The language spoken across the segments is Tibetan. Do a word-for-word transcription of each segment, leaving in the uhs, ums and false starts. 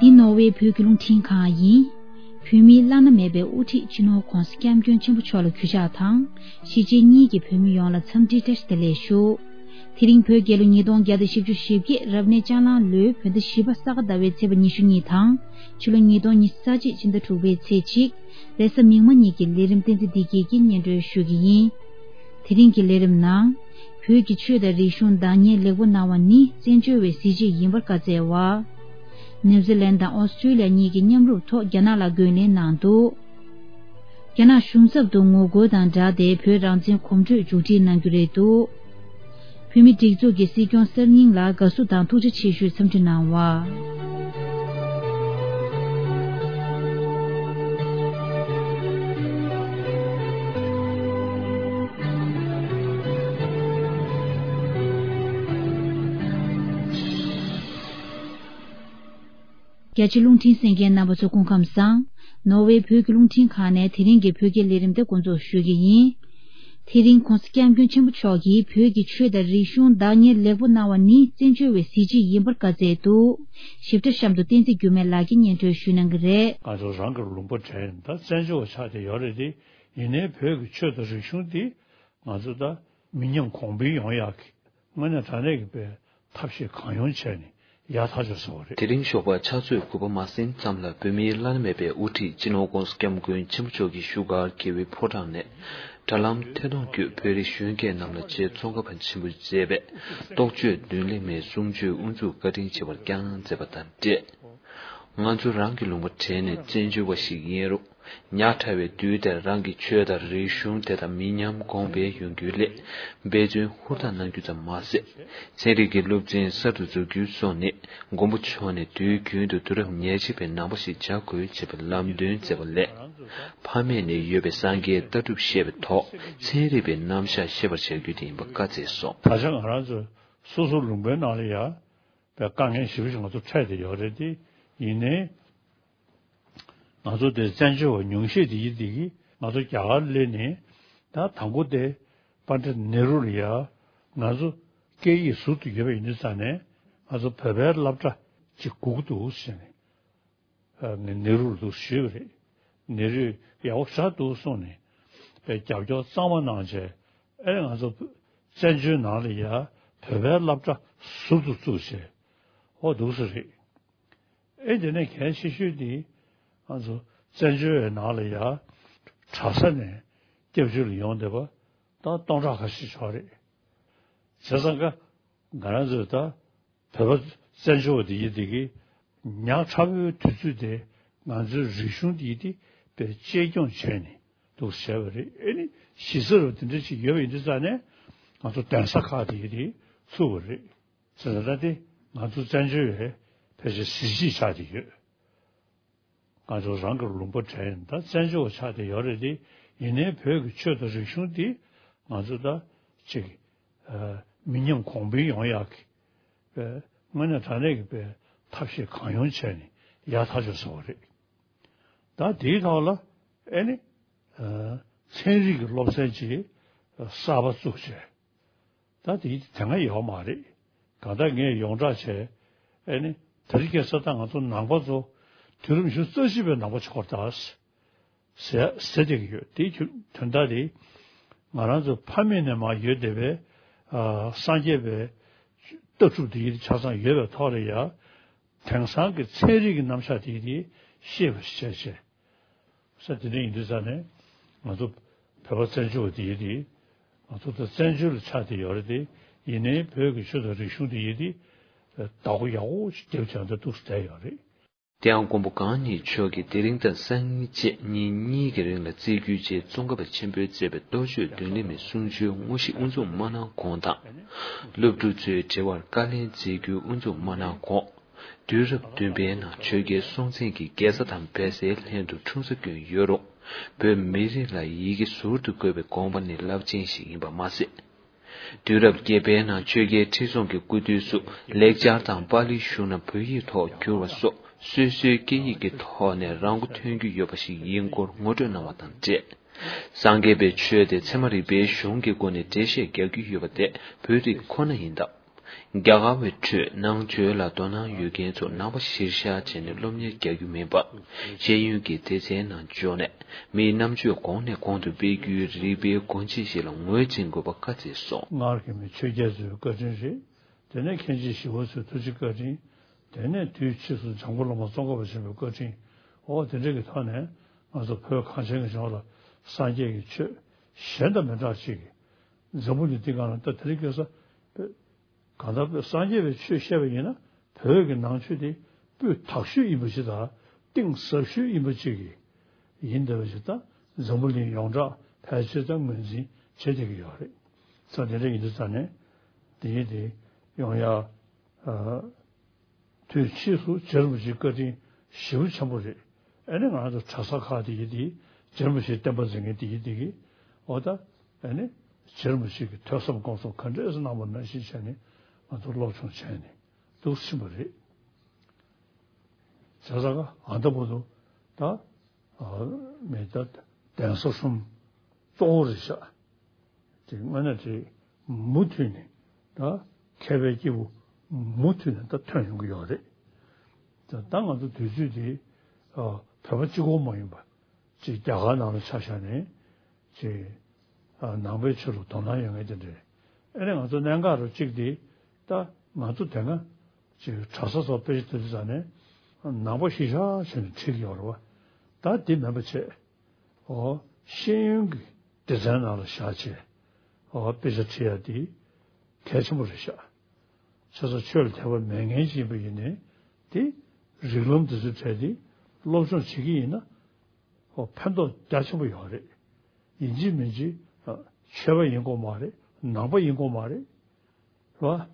འདི་ནོར་ཝེ་བོད་ཀྱི་རླུང་འཕྲིན་ཁང་ཡིན། བོད་མིའི་བླ་ན་མེད་པའི་དབུ་ཁྲིད་སྤྱི་ནོར་༧གོང་ས་༧སྐྱབས་མགོན་ཆེན་པོ་མཆོག་ལ་གུས་ཕྱག་དང་། གཞིས་བྱེས་གཉིས་ཀྱི་བོད་མི་ཡོངས་ལ་འཚམས་འདྲི་བཀྲ་ཤིས་བདེ་ལེགས་ཞུ། དེ་རིང་བོད་རྒྱལ་ལོ་ཉིས་སྟོང་བརྒྱ་དང་བཞི་བཅུ་ཞེ་བརྒྱད་རབ་གནས་ལྕགས་གླང་ལོའི་བོད་ཟླ་བཞི་པ་ས་ག་ཟླ་བའི་ཚེས་པ་ཉི་ཤུ་གཉིས་དང་། ཕྱི་ལོ་ཉིས་སྟོང་ཉི་ཤུ་རྩ་གཅིག་ཕྱི་ཟླ་དྲུག་པའི་ཚེས་གཅིག་རེས་གཟའ་མིག་དམར་ཉིན་གྱི་ལས་རིམ་བསྟན་འཛིན་བདེ་སྐྱིད་ཀྱིས་སྙན་སྒྲོན་ཞུ་གི་ཡིན། དེ་རིང་གི་ལས་རིམ་ནང་། བོད་ཀྱི་ཆོས་དང་རིག་གཞུང་བདག་གཉེར་ལེགས་པོ་གནང་བ་ནི་བཙན་བྱོལ་བའི་གཟི་བརྗིད་ཡིན་པར་བཀའ་སྩལ་བ། ནེའུ་ཛི་ལན་དང་ཨོ་སི་ཀྲི་ལི་ཡ་གཉིས་ཀྱིས་མཉམ་རུབ་ཐོག་རྒྱ་ནག་ལ་རྒོལ་ལན་གནང་འདུག་རྒྱ་ནག་གཞུང་ཚབ་ཏུ་ངོ་རྒོལ་དང་སྦྲགས་ཏེ་བོད་རང་བཙན་གོམ་བགྲོད་མཇུག་སྒྲིལ་གནང་རྒྱུ་རེད་འདུག་བོད་མིའི་སྒྲིག་འཛུགས་ཀྱི་སྲིད་སྐྱོང་གསར་རྙིང་ལ་དགའ་བསུ་དང་ཐུགས་རྗེ་ཆེ་ཞུའི་འཚམས་འདྲི་གནང་བ། རྒྱ་ཆེ་རླུང་འཕྲིན་གསན་མཁན་རྣམ་པ་ཚོ་སྐུ་ཁམས་བཟང་། ནོར་ཝེ་བོད་ཀྱི་རླུང་འཕྲིན་ཁང་ནས་དེ་རིང་གི་བོད་སྐད་ལས་རིམ་དེ་འགོ་འཛུགས་ཞུ་གི་ཡིན། དེ་རིང་༧གོང་ས་༧སྐྱབས་མགོན་ཆེན་པོ་མཆོག་གིས་བོད་ཀྱི་ཆོས་དང་རིག་གཞུང་བདག་གཉེར་ལེགས་པོ་གནང་བ་ནི་བཙན་བྱོལ་བའི་གཟི་བརྗིད་ཡིན་པར་བཀའ་སྩལ་འདུག་ཞིབ་ཕྲ་གཤམ་དུ་བསྟན་འཛིན་འགྱུར་མེད་ལགས་ཀྱིས་སྙན་སྒྲོན་ཞུ་གནང་གི་རེད། ང་ཚོ་རང་གི་ལུང་པ་དྲན་ད་བཙན་བྱོལ་བ་ཆགས་བསྡད་ཡོད་རེད་དེ། ཡིན་ནའི་བོད་ཀྱི་ཆོས་དང་རིག་གཞུང་འདི་ང་ཚོ་ད་མི་ཉམས་གོང་འཕེལ་ཡོང་ཡག་གི་དངོས་གནས་དྲང་གནས་ཀྱི་པའི་ཐབས་ཤེས་གང་ཡོང་བྱས་ནས་ཡག་ཐག་ཆོད་བཟོ་བ་རེད། དེ་རིང་ཞོགས་པ་ཕྱག་ཚོད་དགུ་པ་མ་ཟིན་ཙམ་ལ་བོད་མིའི་བླ་ན་མེད་པའི་དབུ་ཁྲིད་སྤྱི་ནོར་༧གོང་ས་༧སྐྱབས་མགོན་ཆེན་པོ་མཆོག་གིས་བཞུགས་སྒར་རྒྱལ་བའི་ཕོ་བྲང་ནས་དྲ་ལམ་ཐད་གཏོང་བརྒྱུད་བོད་རིགས་གཞོན་སྐྱེས་རྣམས་ལ་ཆེས་ཙོང་ཁ་པ་ཆེན་པོས་མཛད་པའི་རྟོགས་བརྗོད་མདུན་ལེགས་མའི་གསུང་ཆོས་དབུ་འཛུགས་བཀའ་དྲིན་ཆེ་བར་བསྐྱངས་མཛད་པ་དང་འབྲེལ། ང་ཚོ་རང་གི་ལུང་པ་དྲན་ནས་བཙན་བྱོལ་བ་ཞིག་ཡིན་རུང་། ཉག་ཕྲ་བའི་དུས་དེར་རང་གི་ཆོས་དང་རིག་གཞུང་དེ་དག་མི་ཉམས་གོང་འཕེལ་ཡོང་རྒྱུའི་སླད་འབད་བརྩོན་ཧུར་ཐག་གནང་རྒྱུ་ཙམ་མ་ཟད། ཚན་རིག་གི་སློབ་ཚན་གསར་དུ་འཛུགས་རྒྱུ་སོགས་ནི་མགོན་པོ་མཆོག་ནས་དུས་རྒྱུན་དུ་དུས་རབས་ཉེར་གཅིག་པའི་ནང་པ་ཞིག་བྱ་དགོས་ཅེས་པའི་ལམ་སྟོན་མཛད་པ་ལས། ཕ་མེས་ནས་ཡོད་པའི་སངས་རྒྱས་ལྟ་གྲུབ་ཤེས་པའི་ཐོག་ཚན་རིག་པའི་རྣམ་གཞག་ཤེས་པར་བྱ་རྒྱུ་དེ་ཡིན་པ་བཀའ་སྩལ་སོང་། ད་ཆ་ང་རང་ཚོ་སོ་སོ་ལུང་པའི་ནང་ལ་ཡ། པའི་དཀའ་ངལ་ཞེ་པོ་ཞིག་ང་ཚོ་འཕྲད་བསྡད་ཡོད་རེད་དེ། ཡིན་ནའི། ང་ཚོ་དེ་བཙན་བྱོལ་བ་ཉུང་ཤས་དེ་ཡིན་དེ་གིས་ང་ཚོ་རྒྱ་གར་སླེབས་ནས་ད་དང་པོ་དེ་པཎྜི་ཏ་ནེ་རུ་ལ་ཡ་ང་ཚོ་སྐད་ཡིག་ཟུར་དུ་ཡོད་པ་ཡིན་དུས་ཙང་ནས་ང་ཚོ་བོད་པའི་སློབ་གྲྭ་གཅིག་དགོས་ཀྱི་འདུག་ཟེར་ནས། ནེ་རུ་ལ་འདུག་ཞུས་པ་རེད། ནེ་རུས་ཡག་པོ་ཞེ་དྲག་འདུག་གསུངས་ནས་རྒྱབ་སྐྱོར་གཙང་མ་གནང་བྱས་ཨེ་ང་ཚོ་བཙན་བྱོལ་ནང་ལ་ཡ་བོད་པའི་སློབ་གྲྭ་ཟུར་དུ་བཙུགས་བྱས་ཨོ་འདུག་སེ་རེད། ཨེ་དེ་ནས་གལ་ཆེ་ཤོས་དེ་ང་ཚོ་བཙན་བྱོལ་བའི་ནང་ལ་ཡ་གྲྭ་ས་ནས་སྐྱབས་བཅོལ་ལ་ཡོང་བསྡད་པ་ད་སྟོང་ཕྲག་ཁ་ཤས་ཤིག་རེད། བྱས་ཙང་ཀ་ང་རང་ཚོས་ད། བོད་པ་བཙན་བྱོལ་བ་དེ་ཡིན་དེ་གིས་ཉག་ཕྲ་བོའི་དུས་ཚོད་དེ་ང་ཚོའི་རིག་གཞུང་དེ་ཡིན་དེ་དཔེ་གཅེས་སྐྱོང་བྱས་ནས་འདུག་བྱས་པ་རེད། ཨེ་ནི་གཞི་རྩ་རུ་དེ་འདྲ་ཞིག་ཡོད་པ་ཡིན་དུས་ཙང་ནས་ང་ཚོ་གདན་ས་ཁག་དེ་ཡིན་དེ་ཚུགས་པ་རེད། བྱས་ཙང་ད་དེ་ང་ཚོ་བཙན་བྱོལ་བའི་ཕལ་ཆེར་གཟི་བརྗིད་ཆགས་བསྡད་ཡོད། ང་ཚོ་རང་གི་ལུང་པ་དྲན་ད་བཙན་བྱོལ་བ་ཆགས་བསྡད་ཡོད་རེད་དེ། ཡིན་ནའི་བོད་ཀྱི་ཆོས་དང་རིག་གཞུང་འདི་ང་ཚོ་ད་ཅིག་མི་ཉམས་གོང་འཕེལ་ཡོང་ཡག་གི་དངོས་གནས་དྲང་གནས་ཀྱི་པའི་ཐབས་ཤེས་གང་ཡོང་བྱས་ནས་ཡག་ཐག་ཆོད་བཟོ་བ་རེད། ད་དེའི་ཐོག་ལ་ཨེ་ནི་ཚན་རིག་གི་སློབ་ཚན་ཅིག་གསར་པ་བཙུགས་བྱས། ད་དེ་དེ་སྔ་ཡོད་མ་རེད། གང་ལྟར་ངས་ཡོངས་གྲགས་བྱས། ཨེ་ནི་དེ་རིང་ཁ་སང་ད་ང་ཚོ་ནང་པ་ཚོ་དུས་རབས་ཉི་ཤུ་རྩ་བཞི་པའི་ནང་པ་ཆགས་ཀྱི་ཡོད་རེད་ད། ཟེར་ཟེར་བསྡད་ཀྱི་ཡོད། དེའི་དོན་དག་དེ་ང་རང་ཚོ་ཕ་མེས་ནས་མར་ཡོད་བསྡད་པའི་སངས་རྒྱས་པའི་ལྟ་གྲུབ་དེ་ཡིན་ཆ་ཚང་ཡོད་པའི་ཐོག་ལ་ཡ། དེང་སང་གི་ཚན་རིག་གི་རྣམ་གཞག་དེ་དེ་ཤེས་པ་བྱས་བྱས། ས་དེ་འདྲ་ཡིན་དུས་ཙང་ནས་ང་ཚོ་བོད་པ་བཙན་བྱོལ་བ་དེ་ཡིན་དེ་ང་ཚོ་ད་བཙན་བྱོལ་ལ་ཆགས་བསྡད་ཡོད་རེད་དེ། ཡིན་ནའི་བོད་ཀྱི་ཆོས་དང་རིག་གཞུང་དེ་ཡིན་དེ་བདག་པོ་ཡག་པོ་ཞིག་རྒྱབ་བྱས་འདི་འདུག་སེ་བསྡད་ཡོད་རེད། དེ་ཡང་མགོན་པོ་གང་ཉིད་མཆོག་གིས་དེ་རིང་དང་སང་ཉིན་བཅས་ཉིན་གཉིས་ཀྱི་རིང་ལ་རྩིས་རྒྱུའི་ཆེད་ཙོང་ཁ་པ་ཆེན་པོས་མཛད་པའི་རྟོགས་བརྗོད་མདུན་ལེགས་མའི་གསུང་ཆོས་དངོས་གཞི་དབུ་འཛུགས་མ་གནང་གོང་དང་། སློབ་ཕྲུག་ཚོའི་དྲི་བར་བཀའ་ལན་མཛད་རྒྱུའི་དབུ་འཛུགས་མ་གནང་གོང་། དུས་རབས་བདུན་པའི་ནང་ཆོས་རྒྱལ་སྲོང་བཙན་གྱིས་རྒྱལ་ས་དང་བལ་བཟའི་ལྷན་དུ་འཁྲུངས་ས་བསྐྱོན་ཡོད་རུང་། བོད་མི་རིགས་ལ་ཡི་གེ་ཟུར་དུ་བཀོད་པའི་དགོངས་པ་ནི་རླབས་ཆེན་ཞིག་ཡིན་པ་མ་ཟད། དུས་རབས་བརྒྱད་པའི་ནང་ཆོས་རྒྱལ་ཁྲི་སྲོང་གི་སྐུ་དུས་སུ་ལེགས་སྦྱར་དང་པཱ་ལིའི་གཞུང་ནས་བོད་ཡིག་ཐོག་བསྒྱུར་བ་སོགས་སོ་སོའི་སྐད་ཡིག་གི་ཐོག་ནས་རང་མགོ་ཐོན་རྒྱུ་ཡོད་པ་ཞིག་ཡིན་སྐོར་ངོ་སྤྲོད་གནང་བ་དང་འབྲེལ། སངས་རྒྱས་པའི་ཆོས་དེ་ཚད་མ་རིག་པའི་གཞུང་གི་སྒོ་ནས་འགྲེལ་བཤད་རྒྱག་རྒྱུ་ཡོད་པ་དེ་བོད་རིགས་ཁོ་ན་ཡིན་སྟབས། རྒྱ་གར་བའི་ཁྲོད་ནང་ཆོས་ལ་དོ་སྣང་ཡོད་མཁན་ཚོ་ནང་པ་གཞིར་བཞག་བྱས་ནས་སློབ་གཉེར་རྒྱག་རྒྱུ་མིན་པར། ཤེས་ཡོན་གྱི་སྡེ་ཚན་ནང་འཇོག་ནས་མིའི་རྣམ་དཔྱོད་གོང་ནས་གོང་དུ་སྤེལ་རྒྱུའི་རིག་པའི་སྒོ་འབྱེད་ཞིག་ལ་ངོས་འཛིན་དགོས་པ་བཀའ་སྩལ་སོང་། སྔར་གྱི་མི་ཆོས་རྒྱལ་ཚོའི་བཀའ་དྲིན་རེད། དེ་ནས་མཁན་ཆེན་ཞི་བ་འཚོའི་ཐུགས་རྗེ་བཀའ་དྲིན། དེ་ནས་དུས་ཕྱིས་སུ་འཇམ་མགོན་བླ་མ་ཙོང་ཁ་པ་ཆེན་པོའི་བཀའ་དྲིན། འོ་དེ་འདྲ་གི་ཐོག་ནས་ང་ཚོ་བོད་གངས་ཅན་གྱི་ལྗོངས་ལ་སངས་རྒྱས་ཀྱི་ཆོས་གཞན་དང་མི་འདྲ་ཅིག་གི་འཛམ་བུ་གླིང་འདི་སྒང་ལ་ད་དེ་རིང་ཁ་སང་གང་ལྟར་སངས་རྒྱས་པའི་ཆོས་བཤད་པ་ཡིན་ན་བོད་ཀྱི་ནང་ཆོས་དེ་སྤུས་དག་ཤོས་ཡིན་པ་ཅིག་དང་གཏིང་ཟབ་ཤོས་ཡིན་པ་ཅིག་གི་ཡིན་བསྡད་པ་ཅིག་དང་འཛམ་བུ་གླིང་ཡོངས་གྲགས་ཕལ་ཆེར་ད་ངོས་འཛིན་བྱེད་བསྡད་ཀྱི་ཡོད་རེད། ས་དེ་འདྲ་ཡིན་དུས་ཙང་ནས་དེ་ཡིན་དེ་ཡོང་ཡ། དུས་ཕྱིས་སུ་རྗེ་རིན་པོ་ཆེའི་བཀའ་དྲིན་ཞེ་པོ་ཆེན་པོ་རེད། ཨ་ནི་ང་ཚོ་གྲྭ་ས་ཁག་དེ་ཡི་དེ་རྗེ་རིན་པོ་ཆེའི་བསྟན་པ་འཛིན་མཁན་དེ་ཡི་དེ་གི་འོ་ད་ཨ་ནི་རྗེ་རིན་པོ་ཆེ་གི་ཐོས་བསམ་སྒོམ་གསུམ་ག་འདྲས་སེ་གནང་བ་ནང་བཞིན་བྱས་ནས་ང་ཚོ་སློབ་སྦྱོང་བྱས་ནས་འདུག་ཕྱིན་པ་རེད། བྱས་ཙང་ཨ་ད་བར་དུ་ད་མི་ད་གདན་ས་གསུམ་གཙོ་བོ་རེད་ཤག་དེ་དངོས་གནས་དེ་མུ་མཐུད་ནས་ད་མཁས་པའི་སྐྱེས་བུ་མུ་མཐུད་ནས་ད་ཐོན་ཡོང་གི་ཡོད་རེད། ད་ད་ང་ཚོ་དུས་ཚོད་དེ་བོད་པ་གཅིག་པོ་མ་ཡིན་པ་ཅིག་རྒྱ་གར་ནང་ལ་ཆ་བཞག་ནས་ཅིག་ནང་པའི་ཆོས་ལ་དོ་སྣང་ཡོད་མཁན་དེ་འདྲ་ཨེ་ནས་ང་ཚོ་གནད་འགག་རུ་གཅིག་དེ་ད་ང་ཚོ་དེ་སྔ་ཅིག་གྲྭ་ས་སོགས་དཔེ་ཆ་དེ་ཚོ་ནས་ནང་པ་གཞིར་བཞག་བྱས་ནས་ཁྲིད་ཀྱི་ཡོད་རེད་བ། ད་དེ་མིན་པ་བྱས། ཨོ། ཤེས་ཡོན་གྱི་སྡེ་ཚན་ནང་ལ་བཞག་བྱས། ཨོ་དཔེ་ཆ་ཁྲིད་ཡ་དེ་གལ་ཆེན་པོ་རེད་ཤག་བྱས་ཙང་ཆོས་ལ་དད་པ་མེད་མཁན་ཞིག་ཡིན་པ་ཡིན་ནའི་དེ་རིགས་ལམ་དེ་ཚོའི་གྲས་དེ་སློབ་སྦྱོང་བྱེད་ཀྱི་ཡིན་ན་ཨོ་ཕན་ཐོགས་རྒྱ་ཆེན་པོ་ཡོད་རེད། ཡིན་གཅིག་མིན་གཅིག་ཆོས་པ་ཡིན་དགོས་མ་རེད། ནང་པ་ཡིན་དགོས་མ་རེད། རེད་བ།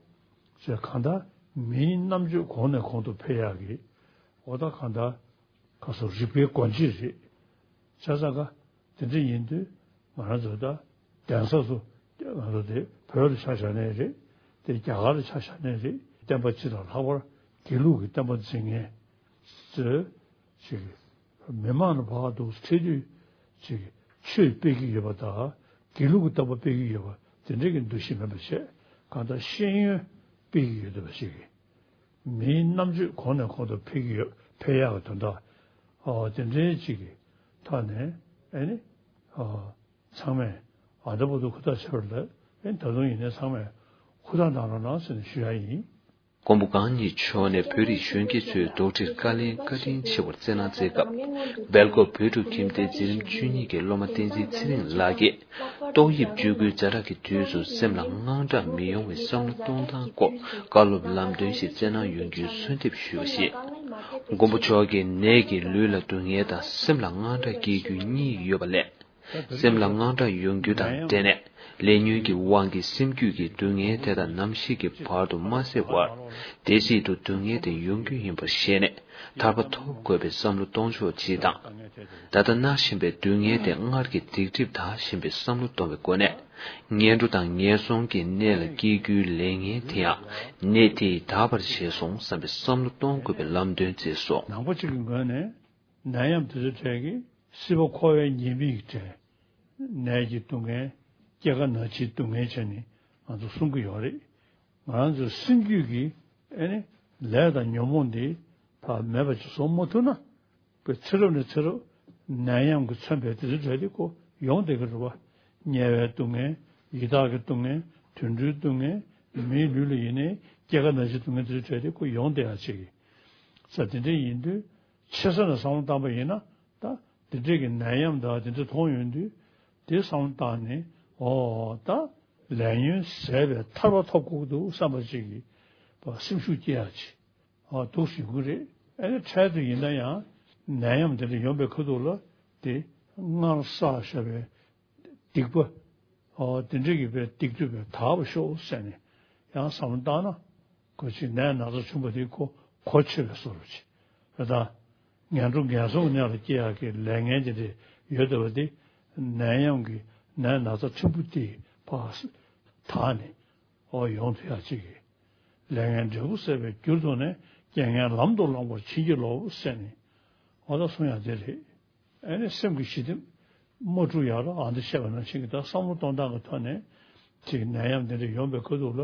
ཅེས་གང་ལྟར་མིའི་རྣམ་དཔྱོད་གོང་ནས་གོང་དུ་འཕེལ་ཡག་གི་འོ་ད་གང་ལྟར་ཁ་སོ་རིག་པའི་སྒོ་འབྱེད་རེད། བྱས་ཙང་ཀ་དེ་འདྲ་ཡིན་དུས་ང་རང་ཚོ་ད་གདན་ས་སུ་ང་ཚོ་དེ་བོད་ལ་ཆ་བཞག་ནའི་རེད། དེ་རྒྱ་གར་ལ་ཆ་བཞག་ནའི་རེད། བསྟན་པ་སྤྱི་དང་ལྷག་པར་དགེ་ལུགས་ཀྱི་བསྟན་པ་འཛིན་མཁན་ཚོས་ཅིག་མི་མང་ལ་བར་དུ་ཁྲིད་དུས་ཅིག་ཆོས་སྤེལ་གྱི་ཡོད་པ་དང་དགེ་ལུགས་ཀྱི་བསྟན་པ་སྤེལ་གྱི་ཡོད་པ་དེ་འདྲའི་གི་འདུ་ཤེས་མེད་པ་བྱས་གང་ལྟར་ཤེས་ཡོན་སྤེལ་གྱི་ཡོད་པ་ཞིག་གིས་མིའི་རྣམ་དཔྱོད་གོང་ནས་གོང་དུ་འཕེལ་གྱི་ཡོད་འཕེལ་ཡག་གི་དོན་དག་ཨོ་དེ་འདྲའི་ཅིག་གི་ཐོག་ནས་ཨེ་ནི་ཨོ་ཚང་མས་ཨ་ད་བར་དུ་ཧུར་ཐག་བྱས་པ་རེད། ཨེ་ད་དུང་ཡིན་ནའི་ཚང་མས་ཧུར་ཐག་གནང་རོགས་གནང་ཟེར་ནས་ཞུ་ཡ་ཡིན། མགོན་པོ་གང་ཉིད་མཆོག་ནས་བོད་རིགས་གཞོན་སྐྱེས་ཚོའི་དོགས་འདྲིར་བཀའ་ལན་བཀའ་དྲིན་ཆེ་བར་བསྩལ་གནང་མཛད་སྐབས། སྦེལ་ཀོབ་བོད་ཕྲུག་ཁྱིམ་སྡེའི་འཛིན་རིམ་བཅུ་གཉིས་ཀྱི་སློབ་མ་བསྟན་འཛིན་ཚེ་རིང་ལགས་ཀྱིས། ཏོག་དབྱིབས་བཅོས་ཁུལ་ཛ་དྲག་གི་དུས་སུ་སེམས་ལ་དངངས་སྐྲག་མི་ཡོང་བའི་བསམ་བློ་གཏོང་སྟངས་སྐོར་བཀའ་སློབ་ལམ་སྟོན་ཞིག་བསྩལ་གནང་ཡོང་རྒྱུའི་གསོལ་འདེབས་ཞུས་པ་རེད། མགོན་པོ་མཆོག་གིས་ནད་ཀྱིས་ལུས་ལ་སྡུག་བསྔལ་དང་སེམས་ལ་དངངས་སྐྲག་སྐྱེ་རྒྱུའི་གཉིས་ཡོད་པ་ལས། སེམས་ལ་དངངས་སྐྲག་ཡོང་རྒྱུ་དང་འབྲེལ་ནས་ལས་ཉོན་གྱི་དབང་གིས་སེམས་རྒྱུད་ཀྱི་སྡུག་བསྔལ་དེ་དག་ནམ་ཞིག་གི་བར་དུ་མ་སེལ་བར། དེ་སྲིད་དུ་སྡུག་བསྔལ་དེ་ཡོང་རྒྱུ་ཡིན་པར་ཤེས་ནས་ཐར་པ་ཐོབ་དགོས་པའི་བསམ་བློ་གཏོང་ཕྱོགས་སྤྱི་དང་། ད་ལྟ་མནར་བཞིན་པའི་སྡུག་བསྔལ་དེ་སྔར་གྱི་སྡིག་སྒྲིབ་དག་བཞིན་པའི་བསམ་བློ་གཏོང་བའི་སྒོ་ནས། ངན་འགྲོ་དང་ངན་སོང་གི་གནས་ལ་སྐྱེ་རྒྱུའི་ལས་ངན་དེ་ཡང་གནས་དེས་དག་པར་བྱས་སོང་བསམ་པའི་བསམ་བློ་གཏོང་དགོས་པའི་ལམ་སྟོན་མཛད་སོ། ནང་པ་གཅིག་གི་ངོས་ནས་ནད་ཡམས་དེ་ཚོའི་གྲས་ཀྱི་སྲིད་པ་འཁོར་བའི་ཉེས་དམིགས་ཀྱི་གྲས། ནད་ཀྱི་སྡུག་བསྔལ། སྐྱེ་རྒ་ན་འཆིའི་སྡུག་བསྔལ་བྱས་ནས་ང་ཚོ་གསུང་གི་ཡོད་རེད། ང་རང་ཚོའི་སེམས་རྒྱུད་ཀྱི་ཨེ་ནི་ལས་དང་ཉོན་མོངས་འདི་ཕར་མེད་པ་ཅིག་བཟོ་མ་ཐུབ་ན། པའི་ཚེ་རབས་ནས་ཚེ་རབས་ནད་ཡམས་ཀྱིས་མཚོན་པའི་དེ་ཚོའི་གྲས་དེ་ཁོ་ཡོང་བསྡད་ཀྱི་རེད་བ། དམྱལ་བའི་སྡུག་བསྔལ། ཡི་དྭགས་ཀྱི་སྡུག་བསྔལ། དུད་འགྲོའི་སྡུག་བསྔལ། མིའི་ལུས་ལ་ཡིན་ནའི་སྐྱེ་རྒ་ན་འཆིའི་སྡུག་བསྔལ་དེ་ཚོའི་གྲས་དེ་ཁོ་ཡོང་བསྡད་ཡ་ཅིག་གི་ས་དེ་འདྲ་ཡིན་དུས་ཆེ་ས་ནས་བསམ་བློ་བཏང་པ་ཡིན་ན་ད་དེ་འདྲས་ཀྱི་ནད་ཡམས་དང་དེ་འདྲ་མཐོང་ཡོང་དུས་དེ་བསམ་བློ་བཏང་ནས་ཨོ་ད་ལས་ཉོན་ཟད་པའི་ཐར་པ་ཐོབ་དགོས་ཀྱི་འདུག་བསམ་པ་ཅིག་གི་སེམས་ཤུགས་སྐྱེ་ཡ་ཅིག་ཨ་འདུག་ཞུ་གི་རེད། ཨ་ནི་འཕྲལ་དུ་ཡིན་ན་ཡང་ནད་ཡམས་དེ་འདྲ་ཡོང་པའི་ཁ་ཐུག་ལ་དེ་སྔར་བསགས་བཞག་པའི་སྡིག་པ་ཨ་དེ་འདྲ་གི་པའི་སྡིག་སྒྲིབ་པའི་དག་པ་ཤོག་ཟེར་ནས་ཡང་བསམ་བློ་བཏང་ན་ཁོ་ཅིག་ནད་ན་ཚ་ཆུང་པོ་དེ་ཁོ་གོ་ཆོད་པའི་བཟོ་འདྲ་ཅིག་རེད་ད། ངན་འགྲོ་ངན་སོང་གི་གནས་ལ་སྐྱེ་ཡག་གི་ལས་ངན་དེ་འདྲ་ཡོད་བསྡད་པ་དེ་ནད་ཡམས་ཀྱི་ནད་ན་ཚ་ཕྲན་བུ་དེ་ཕར་དག་ནས། ཨོ་ཡོང་ཐུབ་ཡག་ཅིག་གི་ལས་ངན་འབྲས་བུ་བསགས་པའི་རྒྱུར་དུ་ནས་རྐྱེན་ངན་ལམ་དུ་བླངས་པར་བྱིན་གྱིས་རློབས་ཟེར་ནས་ཨོ་ད་གསུང་ཡག་དེ་རེད། ཨ་ནི་སེམས་ཀྱི་ཞི་བདེ་མ་འཁྲུག་ཡག་ལ་ཨ་འདི་བཤད་པ་ནང་བཞིན་གྱི་ད་བསམ་བློ་གཏོང་སྟངས་ཀྱི་ཐོག་ནས་ཅིག་ནད་ཡམས་དེ་འདྲ་ཡོང་པའི་ཁ་ཐུག་ལ་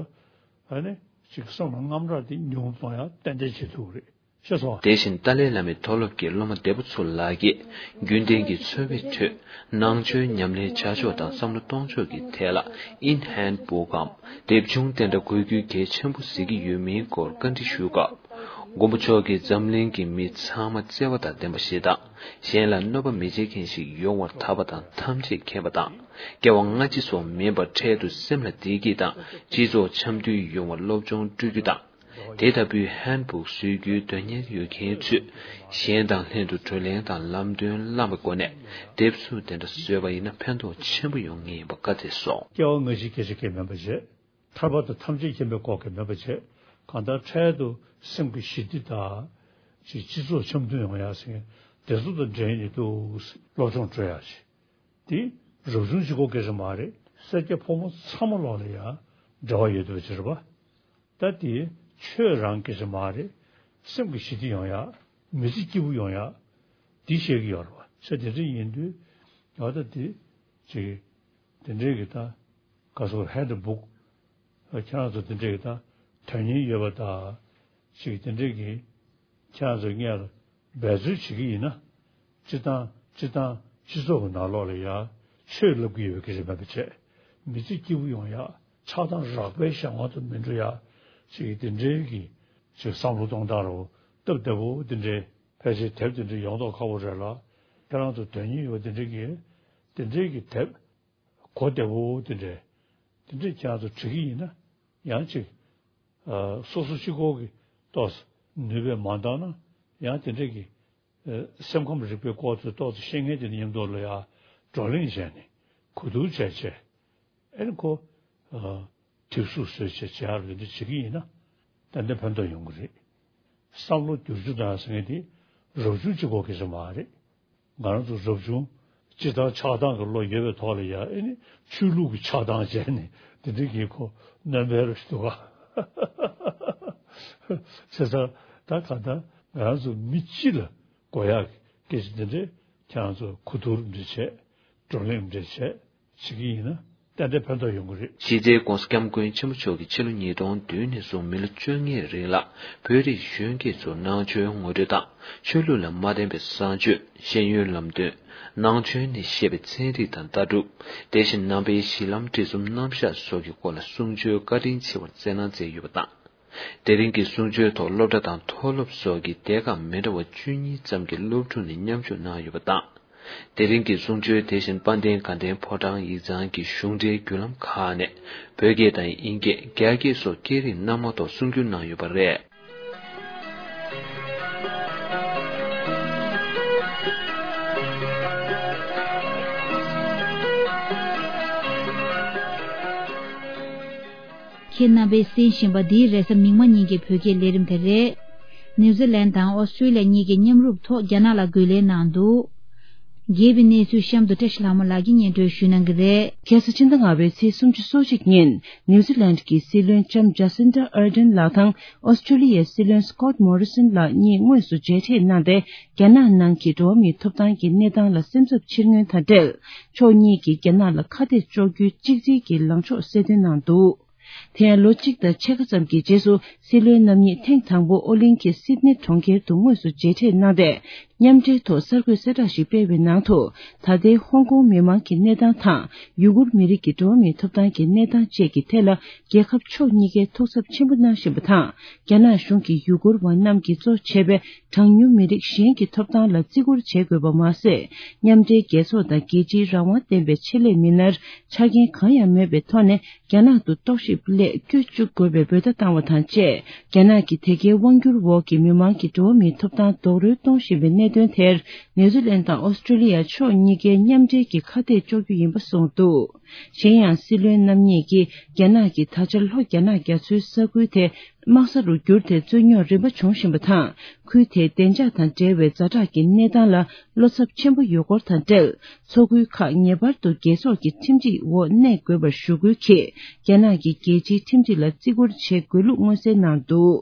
ཨ་ནི་ ཅིག་བསམ་བློ་རྔམ་དྲག་དེ་ཉུང་དུ་གཏོང་ཡ་ཏན་ཏན་བྱེད་ཐུབ་ཀྱི་རེད། ཤེས་སོང་། དེ་བཞིན་ཏཱ་ལའི་བླ་མའི་མཐོ་སློབ་ཀྱི་སློབ་མ་འདས་པོ་ཚོ་ལག་གིས་རྒྱུན་ལྡན་གྱི་འཚོ་བའི་ཁྲོད་ནང་ཆོས་ཉམས་ལེན་བྱ་ཕྱོགས་དང་བསམ་བློ་གཏོང་ཕྱོགས་ཀྱི་ཐད་ལ་ཨིན་ཧན་བུག་གམ་དེབ་ཆུང་དེ་འདྲ་དགོས་རྒྱུ་གལ་ཆེན་པོ་གཟིགས་ཀྱི་ཡོད་མིན་སྐོར་བཀའ་འདྲི་ཞུས་སྐབས། མགོན་པོ་མཆོག་གིས་འཛམ་གླིང་གི་མི་ཚང་མ་བརྩེ་བ་དང་ལྡན་པ་ཞིག་དང་། གཞན་ལ་གནོད་པ་མི་བྱེད་མཁན་ཞིག་ཡོང་བར་ཐག་པ་དང་ཐམས་ཅད་མཁྱེན་པ་དང་། སྐྱེ་བ་སྔ་ཕྱི་སོགས་མིན་པར་འཕྲལ་དུ་སེམས་ལ་བདེ་སྐྱིད་དང་སྤྱི་ཚོགས་འཆམ་མཐུན་ཡོང་བར་སློབ་སྦྱོང་སྤྲོད་རྒྱུ་དང་། དེ་ལྟ་བུའི་ཧན་བུག་བཟོ་རྒྱུའི་དོན་གཉེར་ཡོད་མཁན་ཚོས་གཞན་དང་ལྷན་དུ་བགྲོ་གླེང་དང་ལམ་སྟོན་བླངས་པའི་སྒོ་ནས་དེབ་གཟུགས་དེ་འདྲ་བཟོས་པ་ཡིན་ན་ཕན་ཐོགས་ཆེན་པོ་ཡོང་ངེས་ཡིན་པ་བཀའ་སྩལ་སོང་། སྐྱེ་བ་སྔ་ཕྱི་སྐད་ཆ་སྐད་མེད་པ་བྱས། ཐར་པ་དང་ཐམས་ཅད་མཁྱེན་པའི་སྐོར་གྱི་མེད་པ་བྱས། གང་ལྟར་འཕྲལ་དུ་སེམས་ཀྱི་ཞི་བདེ་དང་། ཅིག་སྤྱི་ཚོགས་འཆམ་མཐུན་ཡོང་ཡ་ཟེར་མཁན་དེ་ཚོ་དང་འབྲེལ་ནས་འདུག་སློབ་སྦྱོང་སྤྲོད་ཡ་ཞིག་དེ་རབ་བྱུང་གཅིག་པོ་སྐད་ཆ་མ་རེད། སེར་སྐྱ་ཕོ་མོ་ཚང་མ་ལོག་ལ་ཡ་འབྲེལ་བ་ཡོད་བསྡད་པ་ཅིག་རེད་པ། ད་དེ་ཆོས་རང་སྐད་ཆ་མ་རེད། སེམས་ཀྱི་ཞི་བདེ་ཡོང་ཡ། མི་ཚེ་སྐྱིད་པོ་ཡོང་ཡ། དེ་བཤད་ཀྱི་ཡོད་རེད་པ། ཚེ་དེ་འདྲ་ཡིན་དུས་ང་ད་དེ་ཅིག་དེ་འདྲའི་གི་ད་ག་སོ་ཧན་བུག་ཁྱེད་རང་ཚོ་དེ་འདྲའི་གི་ད་དོན་སྙིང་ཡོད་པ་ད་ཅིག་དེ་འདྲའི་གི་ཁྱེད་རང་ཚོ་སྔོན་ལ་འབད་རྩོལ་བྱེད་ཀྱི་ཡིན་ན། སྤྱི་བཏང་སྤྱི་བཏང་སྤྱི་ཚོགས་ཀྱི་ནང་ལོགས་ལ་ཡ་ཆོས་ལབ་ཀྱི་ཡོད་པའི་སྐད་ཆ་མེད་པ་བྱས། མི་ཚེ་སྐྱིད་པོ་ཡོང་ཡ། ཆགས་སྡང་རགས་པའི་གཞན་དབང་དུ་མི་འགྲོ་ཡ། ཅིག་དེ་འདྲའི་གི་ཅིག་བསམ་བློ་གཏོང་སྟངས་རོ་སྟབས་བདེ་པོ་དེ་འདྲའི་ཕལ་ཆེར་དེབ་དེ་འདྲའི་ཡོང་མདོག་ཁ་པོ་རེད་ལ། ཁྱེད་རང་ཚོ་དོན་སྙིང་ཡོད་དེ་འདྲའི་གི་དེ་འདྲའི་གི་དེབ་གོ་བདེ་པོ་དེ་འདྲའི་དེ་འདྲའི་ཁྱེད་རང་ཚོ་བྲིས་ཀྱི་ཡིན་ན་ཡང་ཅིག་ཨ། སོ་སོ་གཅིག་པོ་གི་ཏོག་ཙམ་ནུས་པས་མ་འདང་ན་ཡང་དེ་འདྲའི་གི་ཨ། སེམས་ཁམས་རིག་པའི་སྐོར་དེ་ཏོག་ཙམ་ཤེས་མཁན་དེ་ནི་མཉམ་དུ་ལ་ཡ་བགྲོ་གླེང་བྱས་ནས་གོ་བསྡུར་བྱས་བྱས། ཨེ་ནི་ཁོ། ཨ། དེབ་གཟུགས་བཟོས་བྱས་བྱེད་ཡག་ལས་འདི་བྱེད་ཀྱི་ཡིན་ན། ཏན་ཏན་ཕན་ཐོགས་ཡོང་གི་རེད། བསམ་བློ་བསྒྱུར་རྒྱུ་དང་ཟེར་མཁན་དེ་རབ་བྱུང་གཅིག་པོ་གི་ཟེར་མ་རེད། ང་རང་ཚོ་རབ་བྱུང་སྤྱི་བཏང་ཆགས་སྡང་གི་བློ་ཡོད་པའི་ཐོག་ལ་ཡ་ཨེ་ནི་ཆོས་ལུགས་ཀྱི་ཆགས་སྡང་བྱས་ནས་དེ་འདྲའི་གི་ཁོ་སྣོན་པའི་རོ་ཞིག་འདུག་ག་བྱས་ཙང་ད་གང་ལྟར་ང་རང་ཚོ་མི་སྤྱི་ལ་དགོས་ཡག་གི་སྐད་ཆ་འདི་འདྲས་ཁྱེད་རང་ཚོ་གོ་བསྡུར་འདྲ་བྱས་བགྲོ་གླེང་འདྲ་བྱས། བྱེད་ཀྱི་ཡིན་ན་ཏན་ཏན་ཕན་ཐོགས་ཡོང་གི་རེད། གཞི་རྩའི་༸གོང་ས་༸སྐྱབས་མགོན་ཆེན་པོ་མཆོག་གིས་ཕྱི་ལོ་ཉིས་སྟོང་བདུན་ནས་བཟུང་མི་ལོ་བཅོ་ལྔའི་རིང་ལ་བོད་རིགས་གཞོན་སྐྱེས་ཚོར་ནང་ཆོས་ངོ་སྤྲོད་དང་ཆོས་ལུགས་ལ་མ་བརྟེན་པའི་བཟང་སྤྱོད་ཤེས་ཡོན་ལམ་སྟོན་ནང་ཆོས་ནས་བཤད་པའི་ཚན་རིག་དང་ལྟ་གྲུབ་དེ་བཞིན་ནང་པའི་གཞི་ལམ་སྒྲིག་གསུམ་རྣམ་གཞག་སོགས་ཀྱི་སྐོར་ལ་གསུང་ཆོས་བཀའ་དྲིན་ཆེ་བར་སྩལ་གནང་མཛད་ཡོད་པ་དང་། དེ་རིང་གི་གསུང་ཆོས་ཐོག་སློབ་གྲྭ་དང་མཐོ་སློབ་སོགས་ཀྱི་སྡེ་ཁག་མི་འདྲ་བ་བཅུ་གཉིས་ཙམ་གྱི་སློབ་ཕྲུག་ནས་མཉམ་ཞུགས་གནང་ཡོད་པ་དང་། དེ་རིང་གི་གསུང་ཆོས་དེ་བཞིན་དཔལ་ལྡན་དགའ་ལྡན་ཕོ་བྲང་ཡིག་ཚང་གི་གཞུང་འབྲེལ་བརྒྱུད་ལམ་ཁག་ནས་བོད་སྐད་དང་དབྱིན་སྐད། རྒྱ་སྐད་སོགས་སྐད་རིགས་སྣ་མང་ཐོག་གསུང་བསྒྱུར་གནང་ཡོད་པ་རེད། ཁྱེད་རྣམ་པས་གསན་བཞིན་པ་འདི་རེས་གཟའ་མིག་དམར་ཉིན་གྱི་བོད་སྐད་ལས་རིམ་དེ་རེད། ནིའུ་ཛི་ལན་དང་ཨོ་སི་ཀྲི་ལི་ཡ་གཉིས་ཀྱི་མཉམ་རུབ་ཐོག་རྒྱ་ནག་ལ་རྒོལ་ལན་གནང་འདུག་རྒྱས་པའི་གནས་ཚུལ་གཤམ་དུ་བཀྲ་ཤིས་ལྷ་མོ་ལགས་ཀྱིས་སྙན་སྒྲོན་ཞུ་གནང་གི་རེད། ཁ་སང་ཕྱི་ཟླ་ལྔ་པའི་ཚེས་སུམ་ཅུ་སོ་གཅིག་ཉིན་ནིའུ་ཛི་ལན་གྱི་སྲིད་བློན་ལྕམ་ཇ་སིན་ཌ་ཨར་ཌན་ལགས་དང་ཨོ་སི་ཀྲི་ལི་ཡའི་སྲིད་བློན་སི་ཀོད་མོ་རི་སན་ལགས་གཉིས་དངོས་སུ་མཇལ་འཕྲད་གནང་སྟེ། རྒྱ་ནག་ནང་གི་འགྲོ་བ་མིའི་ཐོབ་ཐང་གི་གནས་སྟངས་ལ་སེམས་འཚབ་ཕྱིར་མངོན་དང་འབྲེལ། ཕྱོགས་གཉིས་ཀྱིས་རྒྱ་ནག་ལ་ཁ་གཏད་གཅོག་རྒྱུའི་གཅིག་སྒྲིལ་གྱི་ལངས་ཕྱོགས་གསལ་སྟོན་གནང་འདུག་དེ་ཡང་ལོ་གཅིག་དང་ཕྱེད་ཀ་ཙམ་གྱི་རྗེས་སུ་སྲིད་བློན་རྣམ་གཉིས་ཐེངས་དང་པོ་ཨོ་གླིང་གི་སིད་ནི་གྲོང་ཁྱེར་དུ་དངོས་སུ་མཇལ་འཕྲད་གནང་སྟེ། མཉམ་འབྲེལ་ཐོག་གསར་འགོད་གསལ་བསྒྲགས་ཤིག་སྤེལ་བའི་ནང་དུ། ད་ལྟའི་ཧོང་ཀོང་མི་མང་གི་གནས་སྟངས་དང་། ཡུ་གུར་མི་རིགས་ཀྱི་འགྲོ་བ་མིའི་ཐོབ་ཐང་གི་གནས་སྟངས་བཅས་ཀྱི་ཐད་ལ། རྒྱལ་ཁབ་ཕྱོགས་གཉིས་ཀས་ཐུགས་འཚབ་ཆེན་པོ་གནང་བཞིན་པ་དང་། རྒྱ་ནག་གཞུང་གིས་ཡུ་གུར་བ་རྣམས་ཀྱིས་གཙོ་བྱས་པའི་གྲངས་ཉུང་མི་རིགས་གཞན་གྱི་ཐོབ་ཐང་ལ་བརྩི་བཀུར་བྱེད་དགོས་པ་མ་ཟད། མཉམ་འབྲེལ་རྒྱལ་ཚོགས་དང་རྒྱལ་སྤྱིའི་རང་དབང་ལྡན་པའི་ཆེད་ལས་མི་སྣར་ཆ་རྐྱེན་གང་ཡང་མེད་པའི་ཐོག་ནས། རྒྱ་ནག་ཏུ་རྟོག་ཞིབ་སླད་བསྐྱོད་བཅུག་དགོས་པའི་འབོད་བརྡ་བཏང་བ་དང་བཅས། རྒྱ་ནག་གི་དེ་གའི་དབང་སྒྱུར་འོག་གི་མི་མང་གི་འགྲོ་བ་མིའི་ཐོབ་ཐང་རྡོག་རོལ་གཏོང་བཞིན་པའི་གནད་དོན་དེར། ནིའུ་ཛི་ལན་དང་ཨོ་སི་ཀྲི་ལི་ཡ་ཕྱོགས་གཉིས་ཀའི་མཉམ་འབྲེལ་གྱི་ཁ་གཏད་གཅོག་རྒྱུ་ཡིན་པ་གསུངས་འདུག་གཞན་ཡང་། སྲིད་བློན་རྣམ་གཉིས་ཀྱིས་རྒྱ་ནག་གིས་ད་ཆ་ལྷོ་རྒྱ་ནག་རྒྱ་མཚོའི་ས་ཁུལ་དེ། དམག་ས་རུ་བསྒྱུར་ཏེ་རྩོད་རྙོག་རིམ་པ་བྱུང་བཞིན་པ་དང་། ཁུལ་དེའི་བདེ་འཇགས་དང་འབྲེལ་བའི་ཛ་དྲག་གི་གནས་སྟངས་ལ་བློ་འཚབ་ཆེན་པོ་ཡོད་སྐོར་དང་འབྲེལ། མཚོ་ཁུལ་ཁག་ངེས་པར་དུ་རྒྱལ་ཚོགས་ཀྱི་ཁྲིམས་སྒྲིག་འོག་གནས་དགོས་པར་ཞུ་སྐུལ་གྱིས། རྒྱ་ནག་གིས་རྒྱལ་སྤྱིའི་ཁྲིམས་སྒྲིག་ལ་བརྩི་བཀུར་བྱེད་དགོས་ལུགས་མངོན་གསལ་གནང་འདུག་